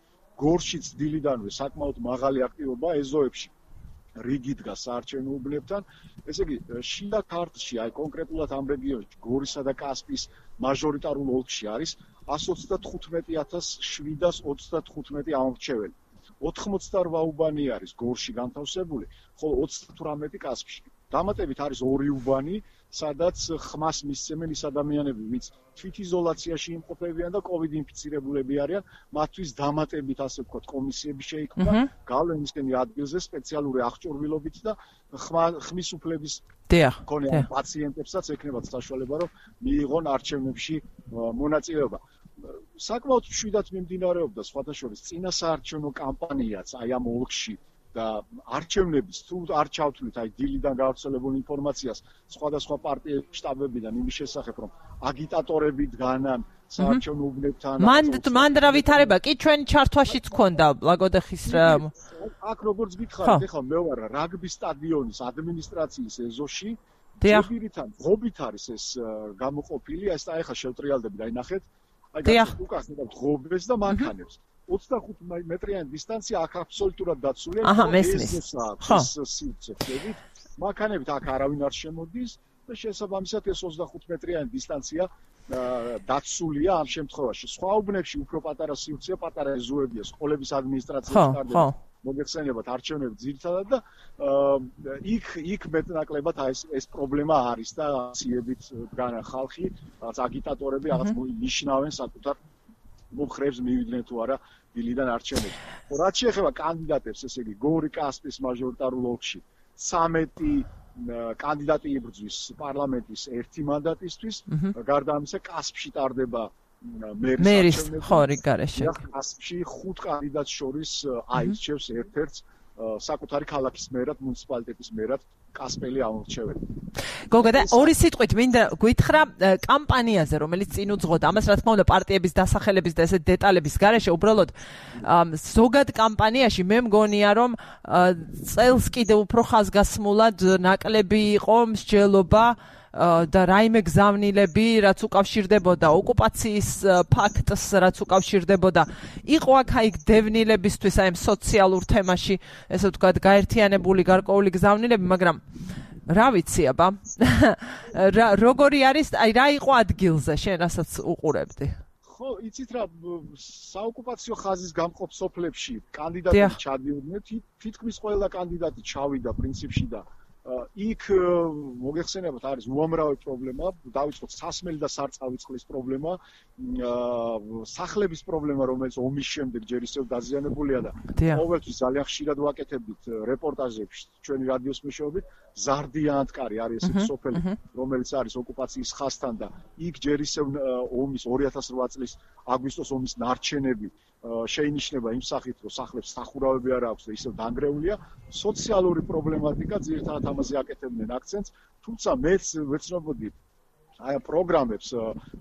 გორშიც დილიდანვე საკმაოდ მაღალი აქტივობაა ეზოებში. რიგი დგას საარჩევნო უბნებთან. ესე იგი, შიდა ქართლში, აი კონკრეტულად ამ რეგიონში, გორისა და კასპიის მაჟორიტარულ ოლქში არის εκατს ოცდათხუთმეტი ათას შვიდას ოცდათხუთმეტი ამორჩეველი. ოთხმოცდარვა უბანი არის გორში განთავსებული, ხოლო ოცდათვრამეტი კასპში. დამატებით არის ორი უბანი, სადაც ხმას მისცემენ ის ადამიანები, ვინც თვითიზოლაციაში იმყოფებიან და კოვიდ ინფიცირებულები არიან, მათთვის დამატებით ასე ვთქვათ, კომისიები შეიქმნა, გავლენისკენი ადგილზე სპეციალური აღჭურვილობით და ხმის უფლების მქონე პაციენტებსაც ექნებათ საშუალება, რომ მიიღონ არჩევნებში მონაწილეობა. საკმაოდ მშვიდად მიმდინარეობდა სხვათა შორის წინა საარჩევნო კამპანიაც აი ამ ოლქში და არჩევნების თუ არ ჩავთვლით აი დილიდან გავრცელებულ ინფორმაციას სხვადასხვა პარტიების შტაბებიდან იმის შესახებ რომ აგიტატორები დგანან საარჩევნო უბნებთან მან მან რა ვითარება კი ჩვენ ჩართვაშიც ქონდა ლაგოდეხის აქ როგორც გითხარით ეხლა მე ვარ რაგბის სტადიონის ადმინისტრაციის ეზოში ძებირიდან ღობით არის ეს გამოყოფილი ეს და ეხლა შევტრიალდები და აი ნახეთ აი უკასნებად ღობეს და მანქანებს ოცდახუთ მეტრიანი დისტანცია აქ აბსოლუტურად დაცულია აჰა მესმის ხო სივრცეებით მანქანებით აქ არავინ არ შემოდის და შესაბამისად ეს ოცდახუთ მეტრიანი დისტანცია დაცულია ამ შემთხვევაში სხვა უბნებში უფრო პატარა სივრცეა პატარა ეზოებია სკოლების ადმინისტრაციის კარდება მოგეხსენებათ არჩევნები ძირითადად და იქ იქ მეტნაკლებად ეს ეს პრობლემა არის და აციებით დგანა ხალხი რაღაც აგიტატორები რაღაც ნიშნავენ საკუთარ მომხრეებს მივიდნენ თუ არა დილიდან არჩევნებში. რაც შეეხება კანდიდატებს, ესე იგი გორი კასპიის მაჟორიტარულ ოლქში ცამეტი კანდიდატი იბრძვის პარლამენტის ერთი მანდატისთვის, გარდა ამისა კასპში ტარდება მერის ხორი გარეშე. კასპში ხუთ კანდიდატს შორის აირჩევს ერთ-ერთს საკუთარი ქალაქის მერად, მუნიციპალიტეტის მერად კასპელი ამორჩეველი. გოგო და ორი სიტყვით მინდა გითხრა კამპანიაზე, რომელიც წინ უძღოდა. ამას რა თქმა უნდა პარტიების დასახელების და ესე დეტალების გარეშე უბრალოდ ზოგად კამპანიაში მე მგონია რომ წელს კიდევ უფრო ხაზგასმულად ნაკლები იყო მსჯელობა და რაიმე გზავნილები, რაც უკავშირდებოდა ოკუპაციის ფაქტს, რაც უკავშირდებოდა, იყო აქ აი დევნილებისთვის აი სოციალურ თემაში, ესე ვთქვათ, გაერთიანებული გარკვეული გზავნილები, მაგრამ რა ვიცი აბა. როგორი არის, აი რა იყო ადგილზე, შენ რასაც უყურებდი? ხო, იცით რა, საოკუპაციო ხაზის გამყოფ სოფლებში კანდიდატები ჩადიოდნენ, თითქმის ყველა კანდიდატი ჩავიდა პრინციპში და იქ მოგეხსენებათ არის უამრავი პრობლემა, დავიწყოთ სასმელი და სარწყავი წყლის პრობლემა, სახლების პრობლემა, რომელიც ომის შემდეგ ჯერ ისევ დაზიანებულია და ყოველთვის ძალიან ხშირად ვაკეთებდით რეპორტაჟებში ჩვენი რადიოს მეშვეობით, ზარდიანტკარი არის ესეთი სოფელი, რომელიც არის ოკუპაციის ხაზთან და იქ ჯერ ისევ ომის ორი ათას რვა წლის აგვისტოს ომის ნარჩენები შეინიშნება იმ სახით, რომ სახლებს სახურავები არ აქვს და ისევ დანგრეულია, სოციალური პრობლემატიკა ძირითადად ამაზე აკეთებდნენ აქცენტს, თუმცა მეც ვეცნობოდი აი პროგრამებს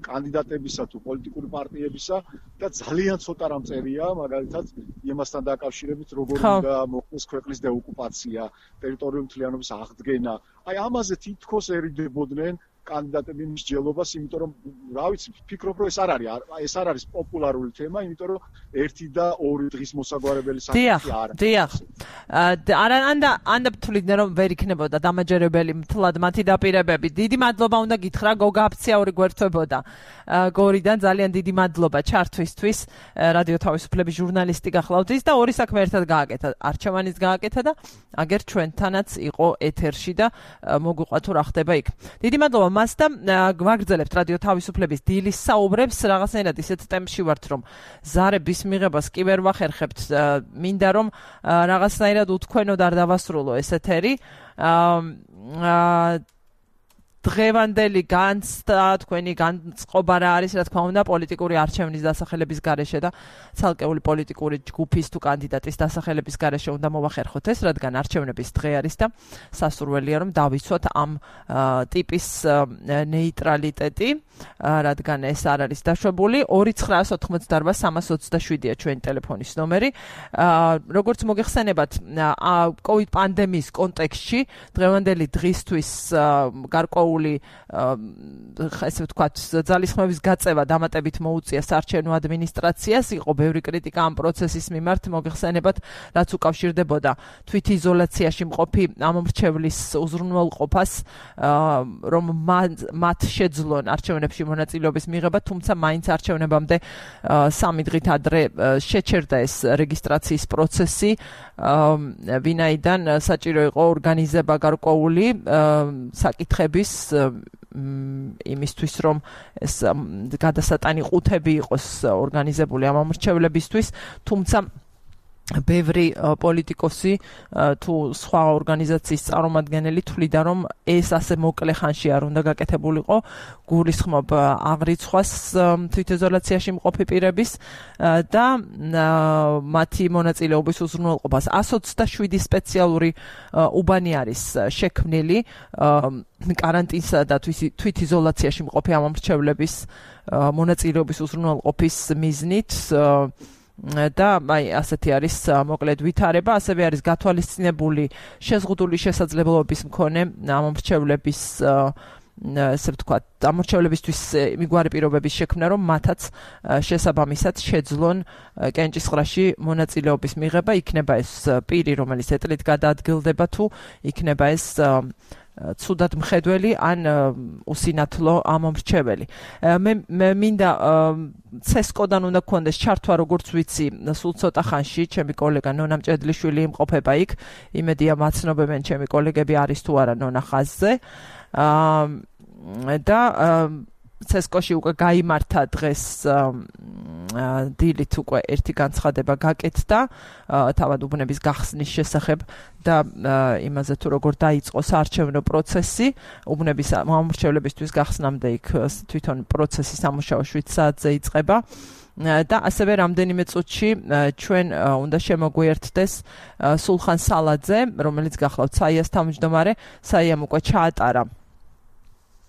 კანდიდატებისა თუ პოლიტიკური პარტიებისა და ძალიან ცოტა რამ წერია, მაგალითად იმასთან დაკავშირებით, როგორ უნდა მოხდეს ქვეყნის დეოკუპაცია, ტერიტორიული მთლიანობის აღდგენა. აი ამაზე თითქოს ერიდებოდნენ კანდიდატები მსჯელობას, იმიტომ რომ რა ვიცი, ვფიქრობ, რომ ეს არ არის, ეს არ არის პოპულარული თემა, იმიტომ რომ ერთი და ორი დღის მოსაგვარებელი საკითხი არ არის. დიახ, დიახ. არა, ანდა ანდა თuliდნენ რომ ვერ იქნებოდა დამაჯერებელი მთლად მათი დაპირებები. დიდი მადლობა უნდა გითხრა, გოგა აფციაური გვერდთვებოდა. გორიდან ძალიან დიდი მადლობა ჩართვისთვის. რადიო თავისუფლების ჟურნალისტი გახლავთ და ორი საქმე ერთად გააკეთა. არჩევანის გააკეთა და აგერ ჩვენთანაც იყო ეთერში და მოგვიყვა თუ რა ხდება იქ. დიდი მადლობა მას და გვაგრძელებთ რადიო თავისუფლების დილის საუბრებს, რაღაცნაირად ისეთ ტემპში ვართ, რომ ზარების მიღებას კი ვერ ვახერხებთ. მინდა რომ რაღაცნაირად უთქვენოდ არ დავასრულო ეს ეთერი. დღევანდელი განცდა, თქვენი განწყობა რა არის, რა თქმა უნდა, პოლიტიკური არჩევნის დასახელების გარეშე და ცალკეული პოლიტიკური ჯგუფის თუ კანდიდატის დასახელების გარეშე უნდა მოვახერხოთ ეს, რადგან არჩევნების დღე არის და სასურველია რომ დავიცვათ ამ ტიპის ნეიტრალიტეტი, რადგან ეს არ არის დაშვებული. ორი ცხრაას ოთხმოცდარვა სამას ოცდაშვიდია ჩვენი ტელეფონის ნომერი. როგორც მოგეხსენებათ, კოვიდ პანდემიის კონტექსტში დღევანდელი დღისთვის გარკვეული ერთეული ესე ვთქვათ ძალისხმების გაწევა დამატებით მოუწია საარჩევნო ადმინისტრაციას, იყო ბევრი კრიტიკა ამ პროცესის მიმართ, მოგეხსენებათ, რაც უკავშირდებოდა თვითიზოლაციაში მყოფი ამომრჩევლის უზრუნველყოფას, რომ მათ შეძლონ არჩევნებში მონაწილეობის მიღება, თუმცა მაინც არჩევნებამდე სამი დღით ადრე შეჩერდა ეს რეგისტრაციის პროცესი, ვინაიდან საჭირო იყო ორგანიზება გარკვეული საკითხების იმისთვის, რომ ეს გადასატანი ყუთები იყოს ორგანიზებული ამ ამორჩევლებისთვის, თუმცა ბევრი პოლიტიკოსი თუ სხვა ორგანიზაციის წარმომადგენელი თვლიდა, რომ ეს ასე მოკლე ხანში არ უნდა გაკეთებულიყო, გულისხმობ აღრიცხვას თვითიზოლაციაში მყოფი პირების და მათი მონაწილეობის უზრუნველყოფას. εκατს ოცდაშვიდი სპეციალური უბანი არის შექმნილი კარანტინსა და თვითიზოლაციაში მყოფი ამომრჩევლების მონაწილეობის უზრუნველყოფის მიზნით. და აი ასეთი არის მოკლედ ვითარება, ასევე არის გათვალისწინებული შეზღუდული შესაძლებლობების მქონე ამომრჩევლების ესე ვთქვათ, ამორჩევლებისთვის მიგوارი პირობების შექმნა, რომ მათაც შესაბამისად შეძლონ კენჭისყრაში მონაწილეობის მიღება, იქნება ეს პირი, რომელიც ეტლით გადაადგილდება თუ იქნება ეს ცუდად მხედველი ან უსინათლო ამომრჩეველი. მე მინდა ცესკოდან უნდა გქონდეს ჩართვა, როგორც ვიცი, სულ ცოტა ხანში ჩემი კოლეგა ნონა მჭედლიშვილი იმყოფება იქ, იმედია მაცნობებენ ჩემი კოლეგები არის თუ არა ნონა ხაზზე. და ცესკოში უკვე გაიმართა დღეს დილით უკვე ერთი განცხადება გაკეთდა თავად უბნების გახსნის შესახებ და იმაზე თუ როგორ დაიწყო საარჩევნო პროცესი, უბნების ამორჩევლებისთვის გახსნამდე იქ თვითონ პროცესი სამუშაო შვიდ საათზე იწყება. და ასევე რამდენიმე წუთში ჩვენ უნდა შემოგვიერთდეს სულხან სალაძე, რომელიც გახლავთ საიას თავმჯდომარე, საიამ უკვე ჩაატარა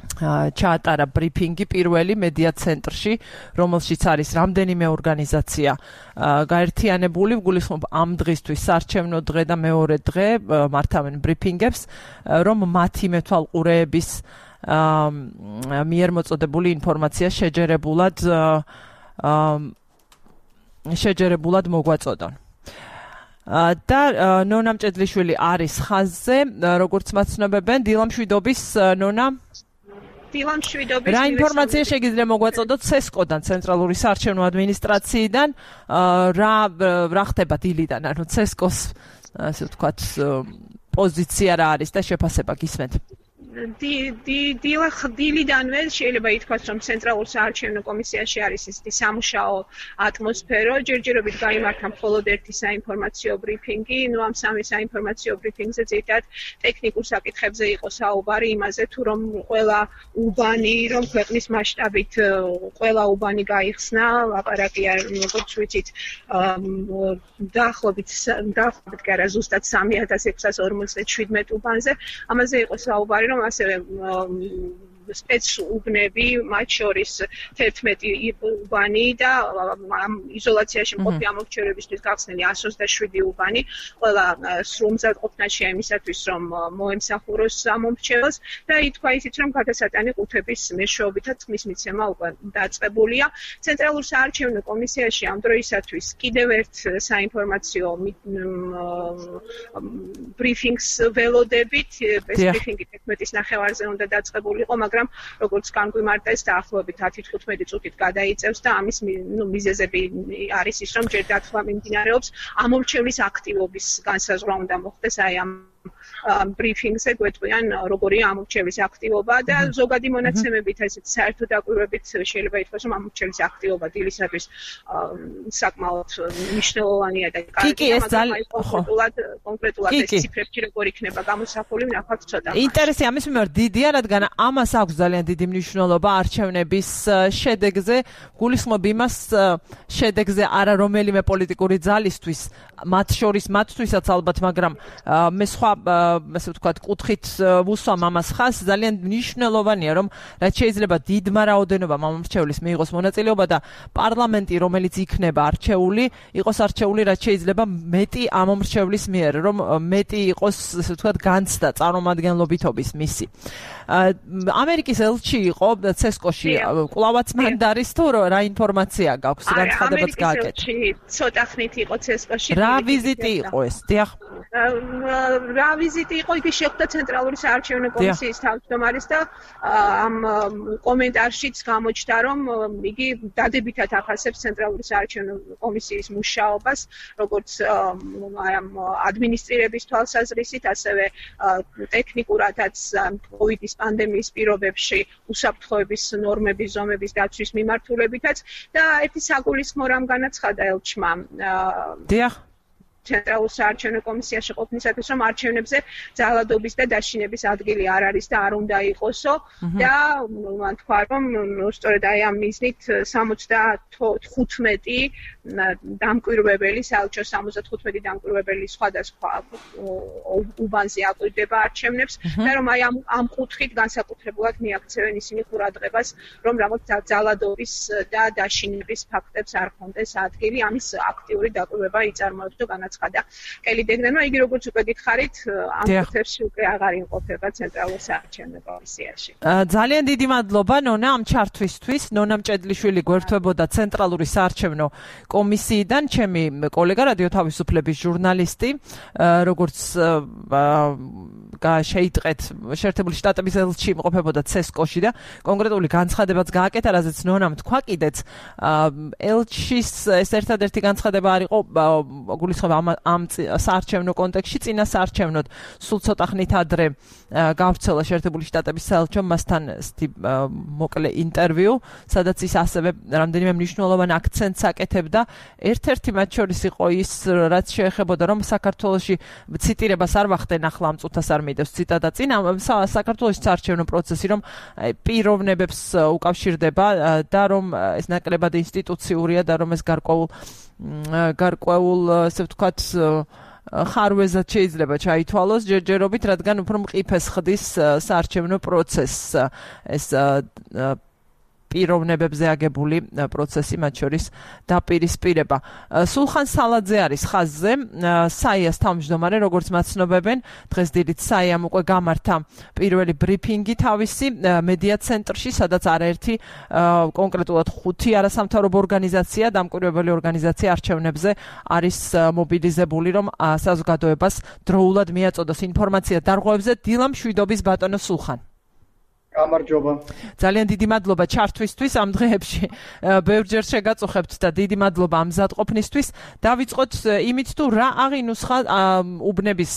ჩაატარა ბრიფინგი პირველი მედია ცენტრში, რომელშიც არის რამდენიმე ორგანიზაცია გაერთიანებული, გულისხმობ ამ დღისთვის საარჩევნო დღე და მეორე დღე მართავენ ბრიფინგებს, რომ მათი მეთვალყურეების მიერ მოწოდებული ინფორმაცია შეჯერებულად შეჯერებულად მოგვაწოდონ. და ნონა მჭედლიშვილი არის ხაზზე, როგორც მაცნობებენ, დილამშვიდობის ნონა. დილამშვიდობის. რა ინფორმაცია შეგიძლია მოგვაწოდოთ ცესკოდან, ცენტრალური საარჩევნო ადმინისტრაციიდან, რა რა ხდება დილიდან, ანუ ცესკოს ასე ვთქვათ პოზიცია რა არის და შეფასება გისმენთ. დილიდანვე შეიძლება ითქვას, რომ ცენტრალურ საარჩევნო კომისიაში არის ისეთი სამუშაო ატმოსფერო, ჯერჯერობით გაიმართა მხოლოდ ერთი საინფორმაციო ბრიფინგი, ნუ ამ სამი საინფორმაციო ბრიფინგზე ზედათ ტექნიკურ საკითხებზე იყო საუბარი, იმაზე თუ რომ ყველა უბანი, რომ ქვეყნის მასშტაბით ყველა უბანი გაიხსნა, ლაპარაკი არ როგორც ვიცით, დაახლოებით დაახლოებით კი არა, ზუსტად სამი ათას ექვსას ორმოცდაშვიდმეტ უბანზე, ამაზე იყო საუბარი, რომ ასევე სპეცუბნები, მათ შორის თერთმეტი უბანი და ამ იზოლაციაში მყოფი ამორჩევრებისთვის გახსნილი εκατს ოცდაშვიდი უბანი, ყველა სრულ-მზად ყოფნა შეემისათვის, რომ მოემსახუროს ამორჩევლს და ითქვა ისიც, რომ გადასატანი ყუთების მეშვეობითაც ხმის მიცემა უკვე დაწყებულია. ცენტრალურ საარჩევნო კომისიაში ამ დროისათვის კიდევ ერთ საინფორმაციო ბრიფინგს ველოდებით, ეს ბრიფინგი თერთმეტის ნახევარზე უნდა დაწყებულიყო, მაგრამ როგორც განგვიმარტეს დაახლოებით ათი თხუთმეტი წუთით გადაიწევს და ამის ნუ მიზეზები არის ის, რომ ჯერ დათვლა მიმდინარეობს ამორჩევლის აქტივობის განსაზღვრა უნდა მოხდეს აი ამ ბრიფინგზე გვეტყვიან როგორია ამორჩევლის აქტივობა და ზოგადი მონაცემებით ესეთ საერთო დაკვირვებით შეიძლება ითქვას, რომ ამორჩევლის აქტივობა დილისათვის საკმაოდ მნიშვნელოვანია და კარგია, მაგრამ კონკრეტულად კონკრეტულად ეს ციფრებში როგორ იქნება გამოსახული, ნახავთ ცოტა. ინტერესი ამის მიმართ დიდია, რადგან ამას აქვს ძალიან დიდი მნიშვნელობა არჩევნების შედეგზე, გულისხმობ იმას შედეგზე არა რომელიმე პოლიტიკური ძალისთვის, მათ შორის მათთვისაც ალბათ, მაგრამ მე სხვა ასე ვთქვათ, კუთხით ვუსვამ ამას ხაზს, ძალიან მნიშვნელოვანია, რომ რაც შეიძლება დიდმა რაოდენობამ ამ მრჩევლის მიიღოს მონაწილეობა და პარლამენტი, რომელიც იქნება არჩეული, იყოს არჩეული რაც შეიძლება მეტი ამ მრჩევლის მიერ, რომ მეტი იყოს, ასე ვთქვათ, განცდა წარმომადგენლობითობის მისი. ამერიკის ელჩი იყო ცესკოში, კვლავაც მანდარის თუ რა ინფორმაცია გაქვს, განცხადებაც გააკეთა. ცოტა ხნით იყო ცესკოში. რა ვიზიტი იყო ეს? დიახ. რა ვიზიტი იყო, იგი შეხვდა ცენტრალური საარჩევნო კომისიის თავმჯდომარის და ამ კომენტარშიც გამოჩნდა, რომ იგი დადებითად ახასებს ცენტრალური საარჩევნო კომისიის მუშაობას, როგორც ამ ადმინისტრირების თვალსაზრისით, ასევე ტექნიკურადაც კოვიდის პანდემიის პირობებში უსაფრთხოების ნორმების ზომების დაცვის მიმართულებითაც და ერთი საგულისხმო რამ განაცხადა ელჩმა. დიახ. ცენტრალურ საარჩევნო კომისიაში ყოფნისათვის, რომ არჩევნებზე ძალადობის და დაშინების ადგილი არ არის და არ უნდა იყოსო და მან თქვა, რომ სწორედ აი ამ მიზნით სამოცდახუთმეტი დამკვირვებელი, საელჩო სამოცდახუთმეტი დამკვირვებელი სხვადასხვა უბანზე აკვირდება არჩევნებს და რომ აი ამ ამ კუთხით განსაკუთრებულად მიაქცევენ ისინი ყურადღებას, რომ რაღაც ძალადობის და დაშინების ფაქტებს არ ხონდეს ადგილი, ამის აქტიური დაკვირვება იწარმოებს და განაცხადა. და კელი დეგნენმა იგი როგორც უკვე გითხარით ამ კუთხებში უკვე აღარ იმყოფება ცენტრალურ საარჩევნო კომისიაში. ძალიან დიდი მადლობა ნონა ამ ჩართვისთვის. ნონა მჭედლიშვილი გვერდთვებოდა ცენტრალური საარჩევნო კომისიიდან, ჩემი კოლეგა რადიო თავისუფლების ჟურნალისტი, როგორც შეიტყეთ შეერთებული შტატების ელჩი იმყოფებოდა ცესკოში და კონკრეტული განცხადებაც გააკეთა, რაზეც ნონამ თქვა კიდეც ელჩის ეს ერთადერთი განცხადება არ იყო გულისხმობა ამ საარჩევნო კონტექსტში, წინა საარჩევნოდ სულ ცოტა ხნით ადრე გავრცელა შეერთებული შტატების საელჩომ მასთან მოკლე ინტერვიუ, სადაც ის ასევე რამდენიმე მნიშვნელოვან აქცენტს აკეთებდა. ერთ-ერთი მათ შორის იყო ის, რაც შეეხებოდა, რომ საქართველოში ციტირებას არ ვახდენ ახლა ამ წუთას არ მიდევს ციტატა წინ, საქართველოს საარჩევნო პროცესი რომ პიროვნებებს უკავშირდება და რომ ეს ნაკლებად ინსტიტუციურია და რომ ეს გარკვეულ გარკვეულ ასე ვთქვათ ხარვეზად შეიძლება ჩაითვალოს ჯერჯერობით, რადგან უფრო მყიფეს ხდის საარჩევნო პროცესს ეს პიროვნებებზე აგებული პროცესი, მათ შორის დაპირისპირება. სულხან სალაძე არის ხაზზე, საიას თავმჯდომარე, როგორც მაცნობებენ, დღეს დილით საიამ უკვე გამართა პირველი ბრიფინგი თავისი მედია ცენტრში, სადაც არაერთი კონკრეტულად ხუთი არასამთავრობო ორგანიზაცია, დამკვირვებელი ორგანიზაცია არჩევნებზე არის მობილიზებული, რომ საზოგადოებას დროულად მიაწოდოს ინფორმაცია დარღვევებზე. დილა მშვიდობის ბატონო სულხან. გამარჯობა. ძალიან დიდი მადლობა ჩართვისთვის ამ დღეებში. ბევრჯერ შეგაწუხებთ და დიდი მადლობა ამ მზადყოფნისთვის. დავიწყოთ იმით, თუ რა აღინუსხა უბნების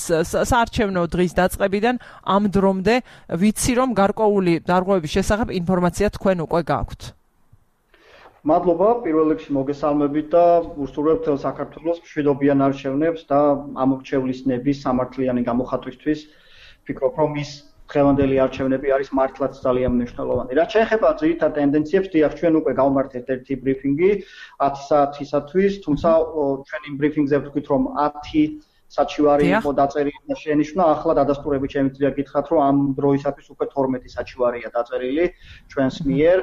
საარჩევნო დღის დაწყებიდან ამ დრომდე, ვიცი რომ გარკვეული დარღვევების შესახებ ინფორმაცია თქვენ უკვე გაქვთ. მადლობა პირველ რიგში მოგესალმებით და უსურვებთ საქართველოს მშვიდობიან არჩევნებს და ამ მრჩევლის ნების სამართლიანი გამოხატვისთვის. ვფიქრობ, რომ ის დღევანდელი არჩევნები არის მართლაც ძალიან მნიშვნელოვანი. რაც შეეხება ძირითად ტენდენციებს, დიახ, ჩვენ უკვე გავმართეთ ერთი ბრიფინგი ათი საათისათვის, თუმცა ჩვენ იმ ბრიფინგზე ვთქვით, რომ ათი საჩივარი იყო დაწერილი და შენიშნა, ახლა დადასტურებით შემიძლია გითხრათ, რომ ამ დროისათვის უკვე თორმეტი საჩივარია დაწერილი ჩვენს მიერ.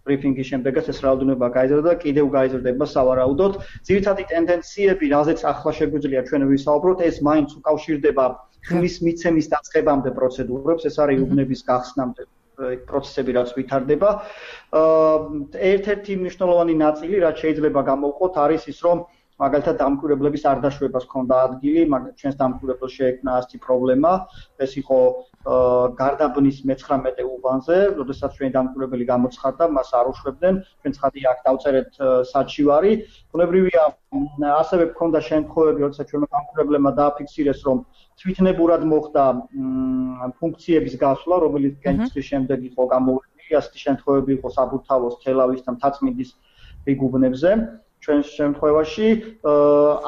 ბრიფინგის შემდეგაც ეს რაოდენობა გაიზარდა და კიდევ გაიზრდება სავარაუდოდ. ძირითადი ტენდენციები, რაზეც ახლა შეგვიძლია ჩვენ ვისაუბროთ, ეს მაინც უკავშირდება ხმის მიცემის დაწყებამდე პროცედურებს, ეს არის უბნების გახსნამდე პროცესები, რაც ვითარდება. ერთ-ერთი მნიშვნელოვანი ნაწილი, რაც შეიძლება გამოვყოთ, არის ის, რომ მაგალითად დამკვირვებლების არ დაშვებას ჰქონდა ადგილი, მაგრამ ჩვენს დამკვირვებელს შეექმნა ასეთი პრობლემა, ეს იყო გარდაბნის მეცხრამეტე უბანზე, როდესაც ჩვენი დამკვირვებელი გამოცხადდა, მას არ უშვებდნენ, ჩვენ ცხადია აქ დავწერეთ საჩივარი. ბუნებრივია, ასევე ჰქონდა შემთხვევები, როდესაც ჩვენმა დამკვირვებლებმა დააფიქსირეს, რომ თვითნებურად მოხდა ფუნქციების გასვლა, რომელიც კენჭის შემდეგ იყო გამოვლენილი, ასეთი შემთხვევები იყო საბურთალოს, თელავის და მთაწმინდის რიგ უბნებზე. ჩვენ შემთხვევაში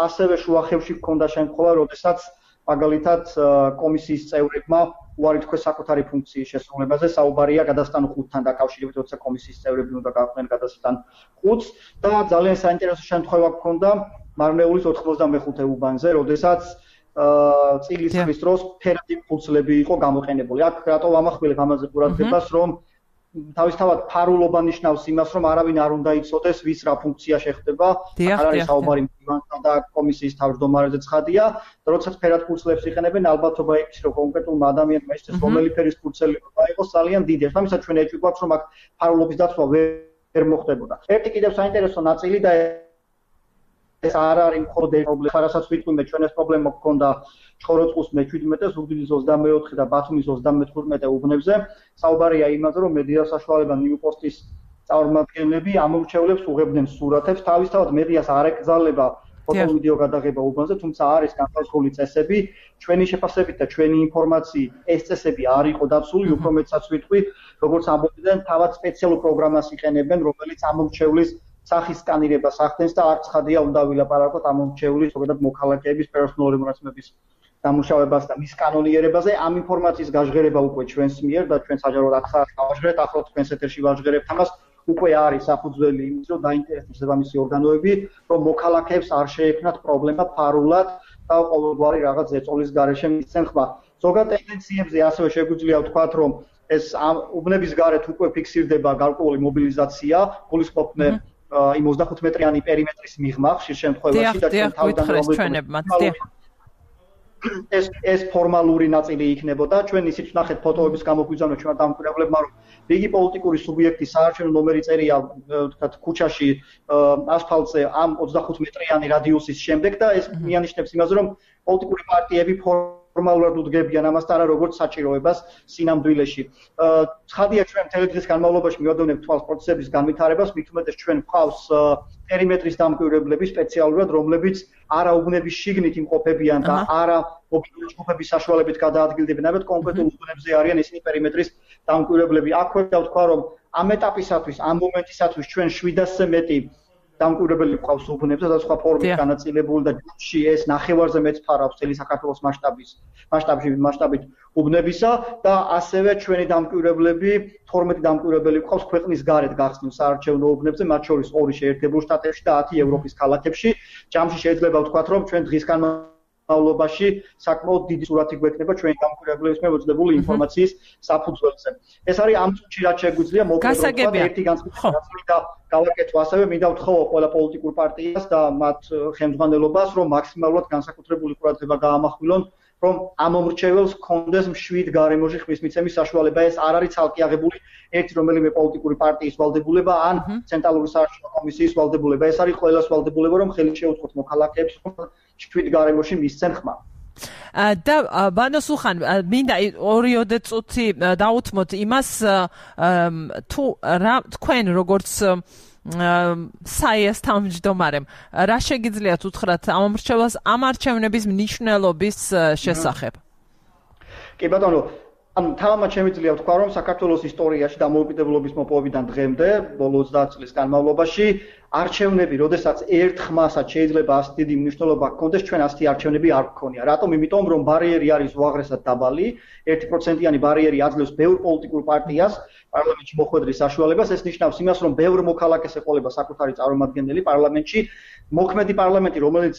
ასევე შუახევში ჰქონდა შემთხვევა, როდესაც მაგალითად კომისიის წევრებმა უარი თქვეს საკუთარი ფუნქციის შესრულებაზე, საუბარია გადასტან ხუთთან დაკავშირებით, როცა კომისიის წევრები უნდა გაყვნენ გადასტან ხუთს და ძალიან საინტერესო შემთხვევა ჰქონდა მარნეულის ოთხმოცდამეხუთე უბანზე, როდესაც წილის ხმის დროს ფერადი ფურცლები იყო გამოყენებული. აქ რატო ვამახვილებ ამაზე ყურადღებას, რომ თავისთავად ფარულობა ნიშნავს იმას, რომ არავინ არ უნდა იცოდეს, ვის რა ფუნქცია შეხვდება. არ არის საუბარი მდივანთან და კომისიის თავმჯდომარეზე ცხადია. როდესაც ფერად ფურცლებს იყენებენ, ალბათობა ის, რომ კონკრეტულმა ადამიანმა იცის, რომელი ფერის ფურცელი უნდა იყოს, ძალიან დიდია. ამისათვის ჩვენ ეჭვი გვაქვს, რომ აქ ფარულობის დაცვა ვერ მოხდებოდა. ერთი კიდევ საინტერესო ნაწილი და ეს არ არის მხოლოდ პრობლემა, რასაც ვიტყვი მე ჩვენ ეს პრობლემა გქონდა ჩხოროწყუს მეჩვიდმეტე, ზუგდიდის ოცდამეოთხე და ბათუმის ოცდამეთვრმეტე უბნებზე. საუბარია იმაზე, რომ მედია საშუალება ნიუპოსტის წარმომადგენლები ამორჩევლებს უღებდნენ სურათებს, თავისთავად მედიას არ ეკრძალება ფოტო-ვიდეო გადაღება უბანზე, თუმცა არის განსაზღვრული წესები, ჩვენი შეფასებით და ჩვენი ინფორმაციით ეს წესები არ იყო დაცული, უფრო მეტსაც ვიტყვი, როგორც ამბობდნენ, თავად სპეციალურ პროგრამას იყენებენ, რომელიც ამორჩევლის სახის სკანირებას ახდენს და არც ხადია უნდა ვილაპარაკოთ ამორჩევლის, ზოგადად მოქალაქეების პერსონალური მონაცემების დამუშავებას და მის კანონიერებაზე. ამ ინფორმაციის გაჟღერება უკვე ჩვენს მიერ და ჩვენ საჯაროდ აქ გავაჟღერეთ, ახლა თქვენს ეთერში ვაჟღერებთ ამას. უკვე არის საფუძველი იმის, რომ დაინტერესდეს ზებამისი ორგანოები, რომ მოქალაქეებს არ შეექმნათ პრობლემა ფარულად და ყოველგვარი რაღაც ეწოლის გარეშე მისცენ ხმა. ზოგად ტენდენციებზე ასევე შეგვიძლია ვთქვათ, რომ ეს უბნების გარეთ უკვე ფიქსირდება გარკვეული მობილიზაცია, გულისხმობენ იმ ოცდახუთ მეტრიანი პერიმეტრის მიღმა ხშირ შემთხვევაში და ჩვენ თავიდან ეს ეს ფორმალური ნაწილი იქნებოდა. ჩვენ ისიც ვნახეთ ფოტოების გამოგვიძანო ჩვენ დამკვირვებლებმა, რომ რიგი პოლიტიკური სუბიექტი საარჩევნო ნომერი წერია ვთქვათ ქუჩაში ასფალტზე ამ ოცდახუთ მეტრიანი რადიუსის შემდეგ და ეს მიანიშნებს იმაზე, რომ პოლიტიკური პარტიები ფორმალურად უდგებიან ამასთან არა როგორც საჭიროებას სინამდვილეში. ცხადია ჩვენ მთელი დღის განმავლობაში მივადევნებთ თვალს პროცესების განვითარებას, მით უმეტეს ჩვენ გვყავს პერიმეტრის დამკვირვებლები სპეციალურად, რომლებიც არა უბნების შიგნით იმყოფებიან და არა მობილური ჯგუფების საშუალებით გადაადგილდებიან, ამიტომ კონკრეტულ უბნებზე არიან ისინი პერიმეტრის დამკვირვებლები. აქვე დავთქვა, რომ ამ ეტაპისათვის, ამ მომენტისათვის ჩვენ შვიდასზე მეტი დამკვირვებელი გვყავს უბნებზე და სხვა ფორმით განაწილებული და ჯგუფში ეს ნახევარზე მეც ფარავს წელი საქართველოს მასშტაბის მასშტაბში მასშტაბით უბნებისა და ასევე ჩვენი დამკვირვებლები თორმეტი დამკვირვებელი გვყავს ქვეყნის გარეთ გახსნილ საარჩევნო უბნებზე, მათ შორის ორი შეერთებულ შტატებში და ათი ევროპის ქალაქებში. ჯამში შეიძლება ვთქვათ, რომ ჩვენ დღის განმავლობაში საკმაოდ დიდი სურათი გვექნება ჩვენი დამკვირვებლების მიერ მოძნებული ინფორმაციის საფუძველზე. ეს არის ამ წუთში რაც შეგვიძლია მოგესალმებით ერთი განცხადება გავაკეთო ასევე მინდა ვთხოვო ყველა პოლიტიკურ პარტიას და მათ ხელმძღვანელობას, რომ მაქსიმალურად განსაკუთრებული ყურადღება გაამახვილონ, რომ ამ მომრჩეველს კონდეს მშვიდ გარემოში ხმის მიცემის საშუალება. ეს არ არის ცალკე აღებული ერთი რომელიმე პოლიტიკური პარტიის ვალდებულება ან ცენტრალური საარჩევნო კომისიის ვალდებულება. ეს არის ყველას ვალდებულება, რომ ხელი შეუწყოთ მოქალაქეებს, რომ მშვიდ გარემოში მისცენ ხმა. და ბანო სუხან მინდა ორიოდე წუთი დაუთმოთ იმას, თუ რა თქვენ როგორც საიას თავმჯდომარემ რა შეგიძლიათ უთხრათ ამორჩევლას ამ არჩევნების მნიშვნელობის შესახებ? კი ბატონო, ან თავად შემიძლია ვთქვა, რომ საქართველოს ისტორიაში დამოუკიდებლობის მოპოვებიდან დღემდე, ბოლო ოცდაათ წლის განმავლობაში არჩევნები, როდესაც ერთ ხმასაც შეიძლება ასეთი დიდი მნიშვნელობა ჰქონდეს, ჩვენ ასეთი არჩევნები არ გქონია. რატომ? იმიტომ, რომ ბარიერი არის უაღრესად დაბალი, ერთი პროცენტიანი ბარიერი აძლევს ბევრ პოლიტიკურ პარტიას პარლამენტში მოხვედრის საშუალებას. ეს ნიშნავს იმას, რომ ბევრ მოქალაქეს ეყოლება საკუთარი წარმომადგენელი პარლამენტში. მოქმედი პარლამენტი, რომელიც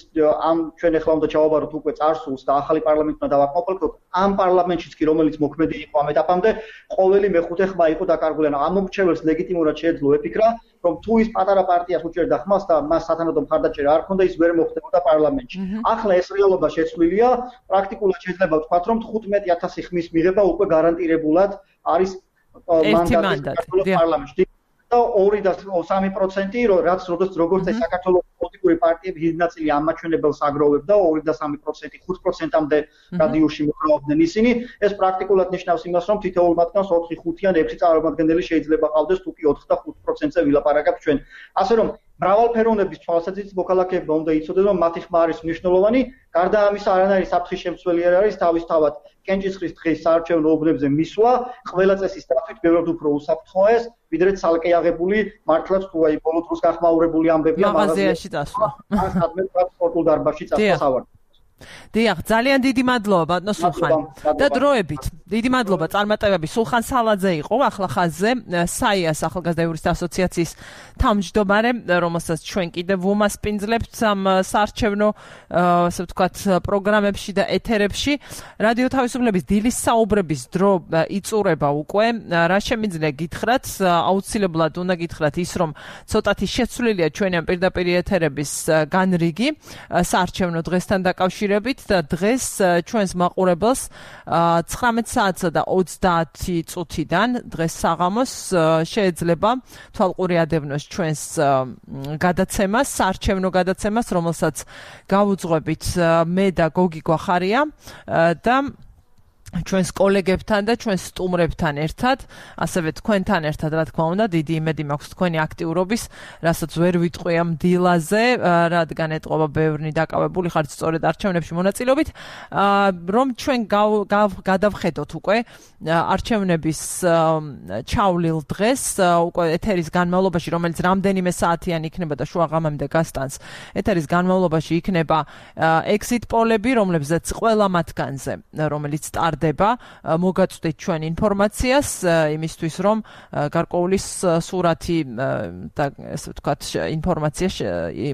ამ ჩვენ ახლა უნდა ჩავაბაროთ უკვე წარსულს და ახალი პარლამენტი უნდა დავაკმაყოფილოთ, ამ პარლამენტშიც კი რომელიც მოქმედი იყო ამ ეტაპამდე, ყოველი მეხუთე ხმა იყო დაკარგული. ამ მომრჩეველს ლეგიტიმურად შეეძლო ეფიქრა, რომ თუ ის პატარა პარტიას უჭერდა ხმას და მას სათანადო მხარდაჭერა არ ჰქონდა, ის ვერ მოხდებოდა პარლამენტში. ახლა ეს რეალობა შეცვლილია, პრაქტიკულად შეიძლება ვთქვათ, რომ თხუთმეტი ათასი ხმის მიღება უკვე გარანტირებულად არის მანდატი პარლამენტში. და ორი და სამი პროცენტი, რაც როდესაც როგორც ეს საქართველოს პოლიტიკური პარტიები დიდი ნაწილი ამ მაჩვენებელს აგროვებდა, ორი და სამი პროცენტი, ხუთ პროცენტამდე რადიუსში მოხმარობდნენ ისინი. ეს პრაქტიკულად ნიშნავს იმას, რომ თითოეულ მათგანს ოთხი, ხუთი ან ექვსი წარმომადგენელი შეიძლება ყავდეს, თუ კი ოთხ და ხუთ პროცენტზე ვილაპარაკებთ ჩვენ. ასე რომ მრავალფეროვნების თვალსაზრისით მოქალაქეებმა უნდა იცოდნენ, რომ მათი ხმა არის მნიშვნელოვანი. გარდა ამისა, არანაირი საფრთხის შემცველი არ არის თავისთავად კენჭისყრის დღის საარჩევნო უბნებზე მისვლა, ყველა წესის დათვით ბევრად უფრო უსაფრთხოა ეს, ვიდრე ცალკე აღებული მართლაც თუ აი ბოლო დროს გახმაურებული ამბებია მაღაზიაში წასვლა. ან სადმე სპორტულ დარბაზში წასვლა სავარცხლოდ. დიახ, ძალიან დიდი მადლობა ბატონო სულხან. და დროებით, დიდი მადლობა წარმატებები. სულხან სალაძე იყო ახლა ხაზზე, საიას ახალგაზრდა იურისტთა ასოციაციის თავმჯდომარე, რომელსაც ჩვენ კიდევ ვუმასპინძლებთ ამ საარჩევნო, ასე ვთქვათ, პროგრამებში და ეთერებში. რადიო თავისუფლების დილის საუბრების დრო იწურება უკვე. რა შემიძლია გითხრათ, აუცილებლად უნდა გითხრათ ის, რომ ცოტათი შეცვლილია ჩვენი ამ პირდაპირ ეთერების განრიგი საარჩევნო დღესთან დაკავშირებით და დღეს ჩვენს მაყურებელს ცხრამეტ საათსა და ოცდაათი წუთიდან დღეს საღამოს შეიძლება თვალყური ადევნოს ჩვენს გადაცემას, საარჩევნო გადაცემას, რომელსაც გავუძღვებით მე და გოგი გვახარია და ჩვენს კოლეგებთან და ჩვენს სტუმრებთან ერთად, ასევე თქვენთან ერთად, რა თქმა უნდა, დიდი იმედი მაქვს თქვენი აქტიურობის, რასაც ვერ ვიტყვი ამ დილაზე, რადგან ეტყობა ბევრი დაკავებული ხართ სწორედ არჩევნებში მონაწილეობით, რომ ჩვენ გადავხედოთ უკვე არჩევნების ჩავლილ დღეს, უკვე ეთერის განმავლობაში, რომელიც რამდენიმე საათიანი იქნება და შუა ღამემდე გასტანს, ეთერის განმავლობაში იქნება exit პოლები, რომლებზეც ყველა მათგანზე, რომელიც სტარტ მოგაწვდით ჩვენ ინფორმაციას იმისთვის, რომ გარკვეული სურათი და ესე ვთქვათ ინფორმაცია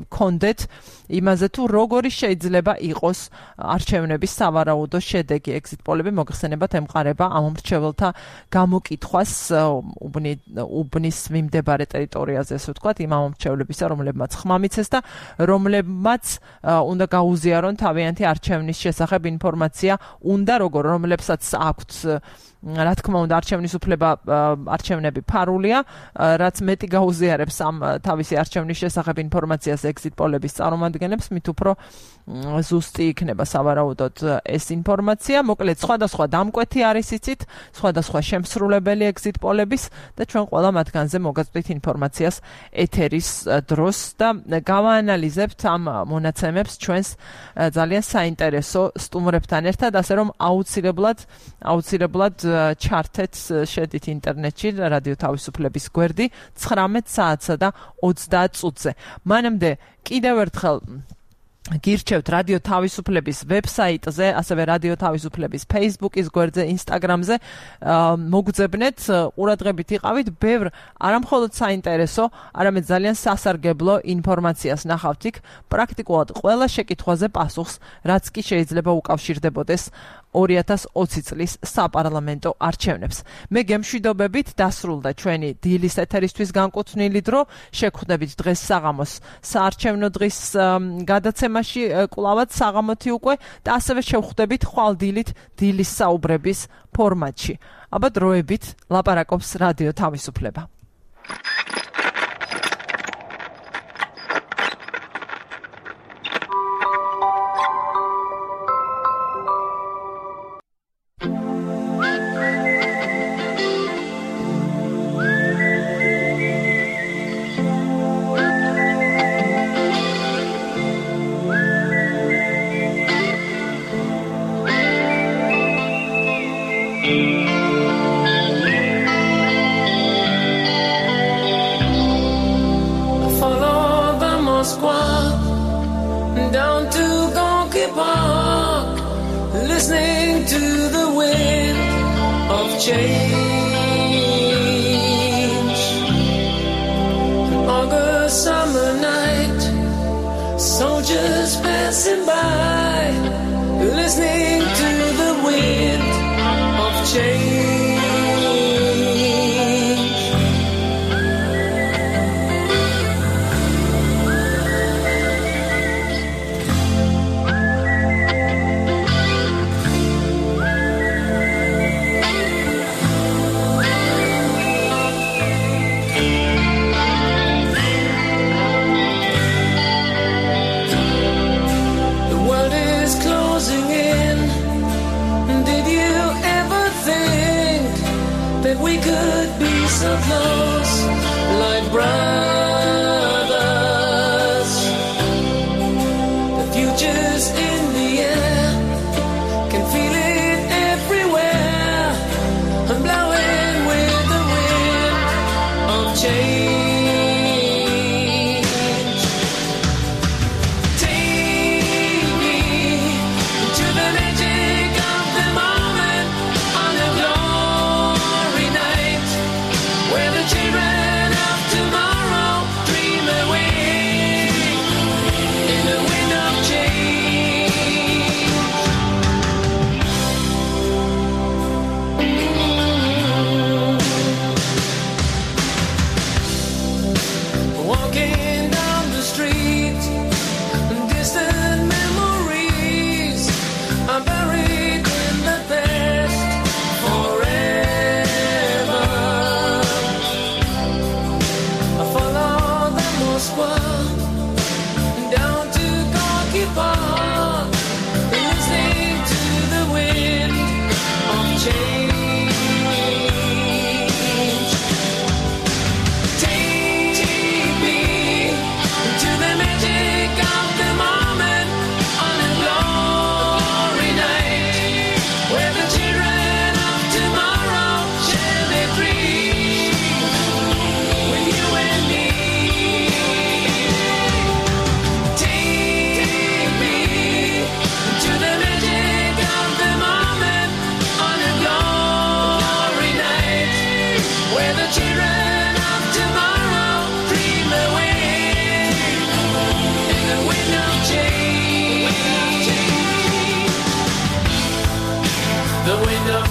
გქონდეთ იმაზე, თუ როგორი შეიძლება იყოს არჩევნების სავარაუდო შედეგი. exit პოლები მოგხსენებათ ემყარება ამ მრჩეველთა გამოკითხვას უბნის მიმდებარე ტერიტორიაზე, ესე ვთქვათ, იმ ამომრჩევლებისა, რომლებმაც ხმა მიცეს და რომლებმაც უნდა გაუზიარონ თავიანთი არჩევნის შესახებ ინფორმაცია, უნდა როგორ რომლებსაც აქვთ, რა თქმა უნდა, არჩევნის უფლება, არჩევნები ფარულია, რაც მეტი გაუზიარებს ამ თავისი არჩევნის შესახებ ინფორმაციას exit პოლების წარმომადგენლებს, მით უფრო ზუსტი იქნება სავარაუდოდ ეს ინფორმაცია. მოკლედ, სხვადასხვა დამკვეთი არის იცით, სხვადასხვა შემსრულებელი exit პოლების და ჩვენ ყველა მათგანზე მოგაწვდით ინფორმაციას ეთერის დროს და გავაანალიზებთ ამ მონაცემებს ჩვენს ძალიან საინტერესო სტუმრებთან ერთად, ასე რომ აუცილებლად აუცილებლად ჩართეთ, შედით ინტერნეტში რადიო თავისუფლების გვერდი ცხრამეტ საათსა და ოცდაათ წუთზე. მანამდე კიდევ ერთხელ გირჩევთ რადიო თავისუფლების ვებსაიტზე, ასევე რადიო თავისუფლების Facebook-ის გვერდზე, Instagram-ზე მოგძებნეთ, ყურადღებით იყავით, ბევრ არამხოლოდ საინტერესო, არამედ ძალიან სასარგებლო ინფორმაციას ნახავთ იქ, პრაქტიკულად ყველა შეკითხვაზე პასუხს, რაც კი შეიძლება უკავშირდებოდეს ორი ათას ოცი წლის საპარლამენტო არჩევნებს. მე გემშვიდობებით დასრულდა ჩვენი დილის ეთერისთვის განკუთვნილი დრო, შეგხვდებით დღეს საღამოს საარჩევნო დღის გადაცემაში კვლავაც საღამოთი უკვე და ასევე შევხვდებით ხვალდილით დილის საუბრების ფორმატში. აბა დროებით ლაპარაკობს რადიო თავისუფლება.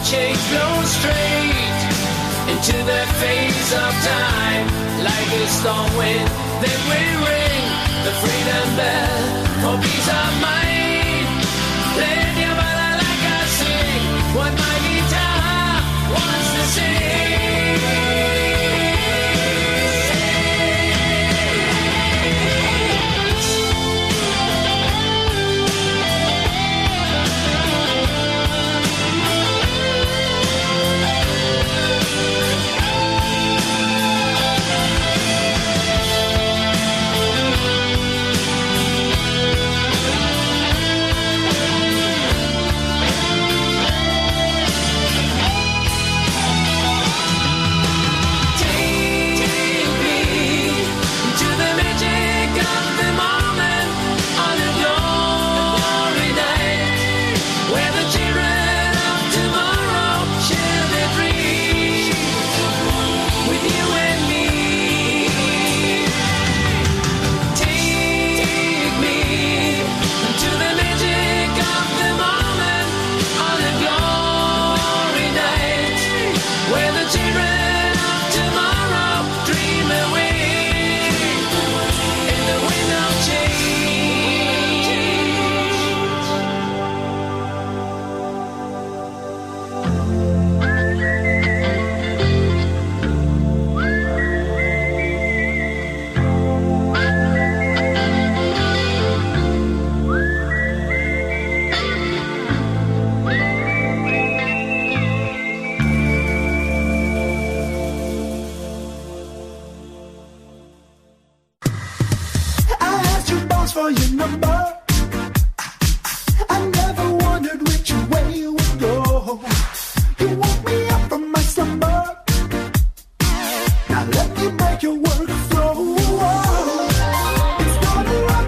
change flows straight into the phase of time. Like a storm wind, then we ring the freedom bell for peace of mind. Play your bala like I sing what my guitar wants to sing. For your number, I never wondered which way you would go. You woke me up from my slumber. Now let me make your work flow. It's not a lot,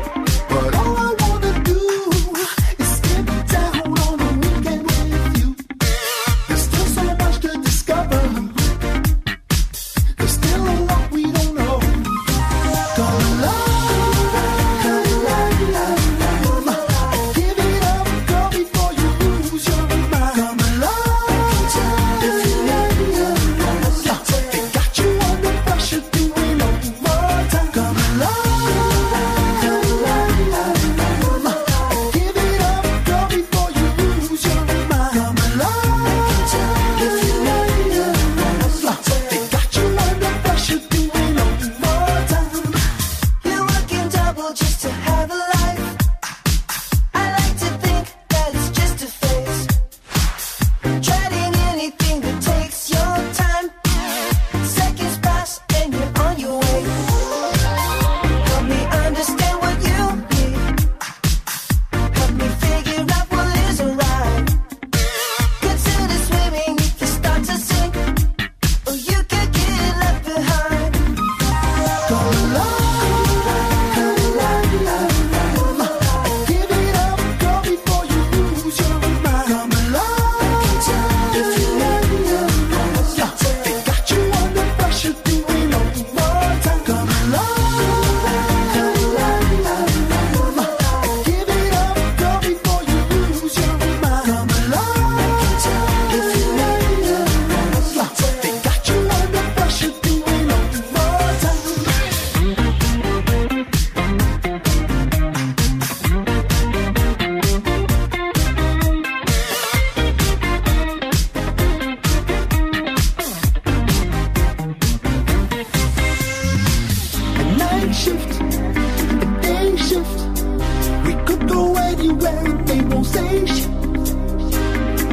but all I wanna do is get down on a weekend with you. There's still so much to discover. There's still a lot we don't know. Gonna love.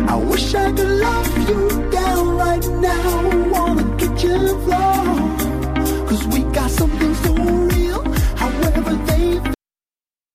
I wish I could love you down right now. Wanna get you fly.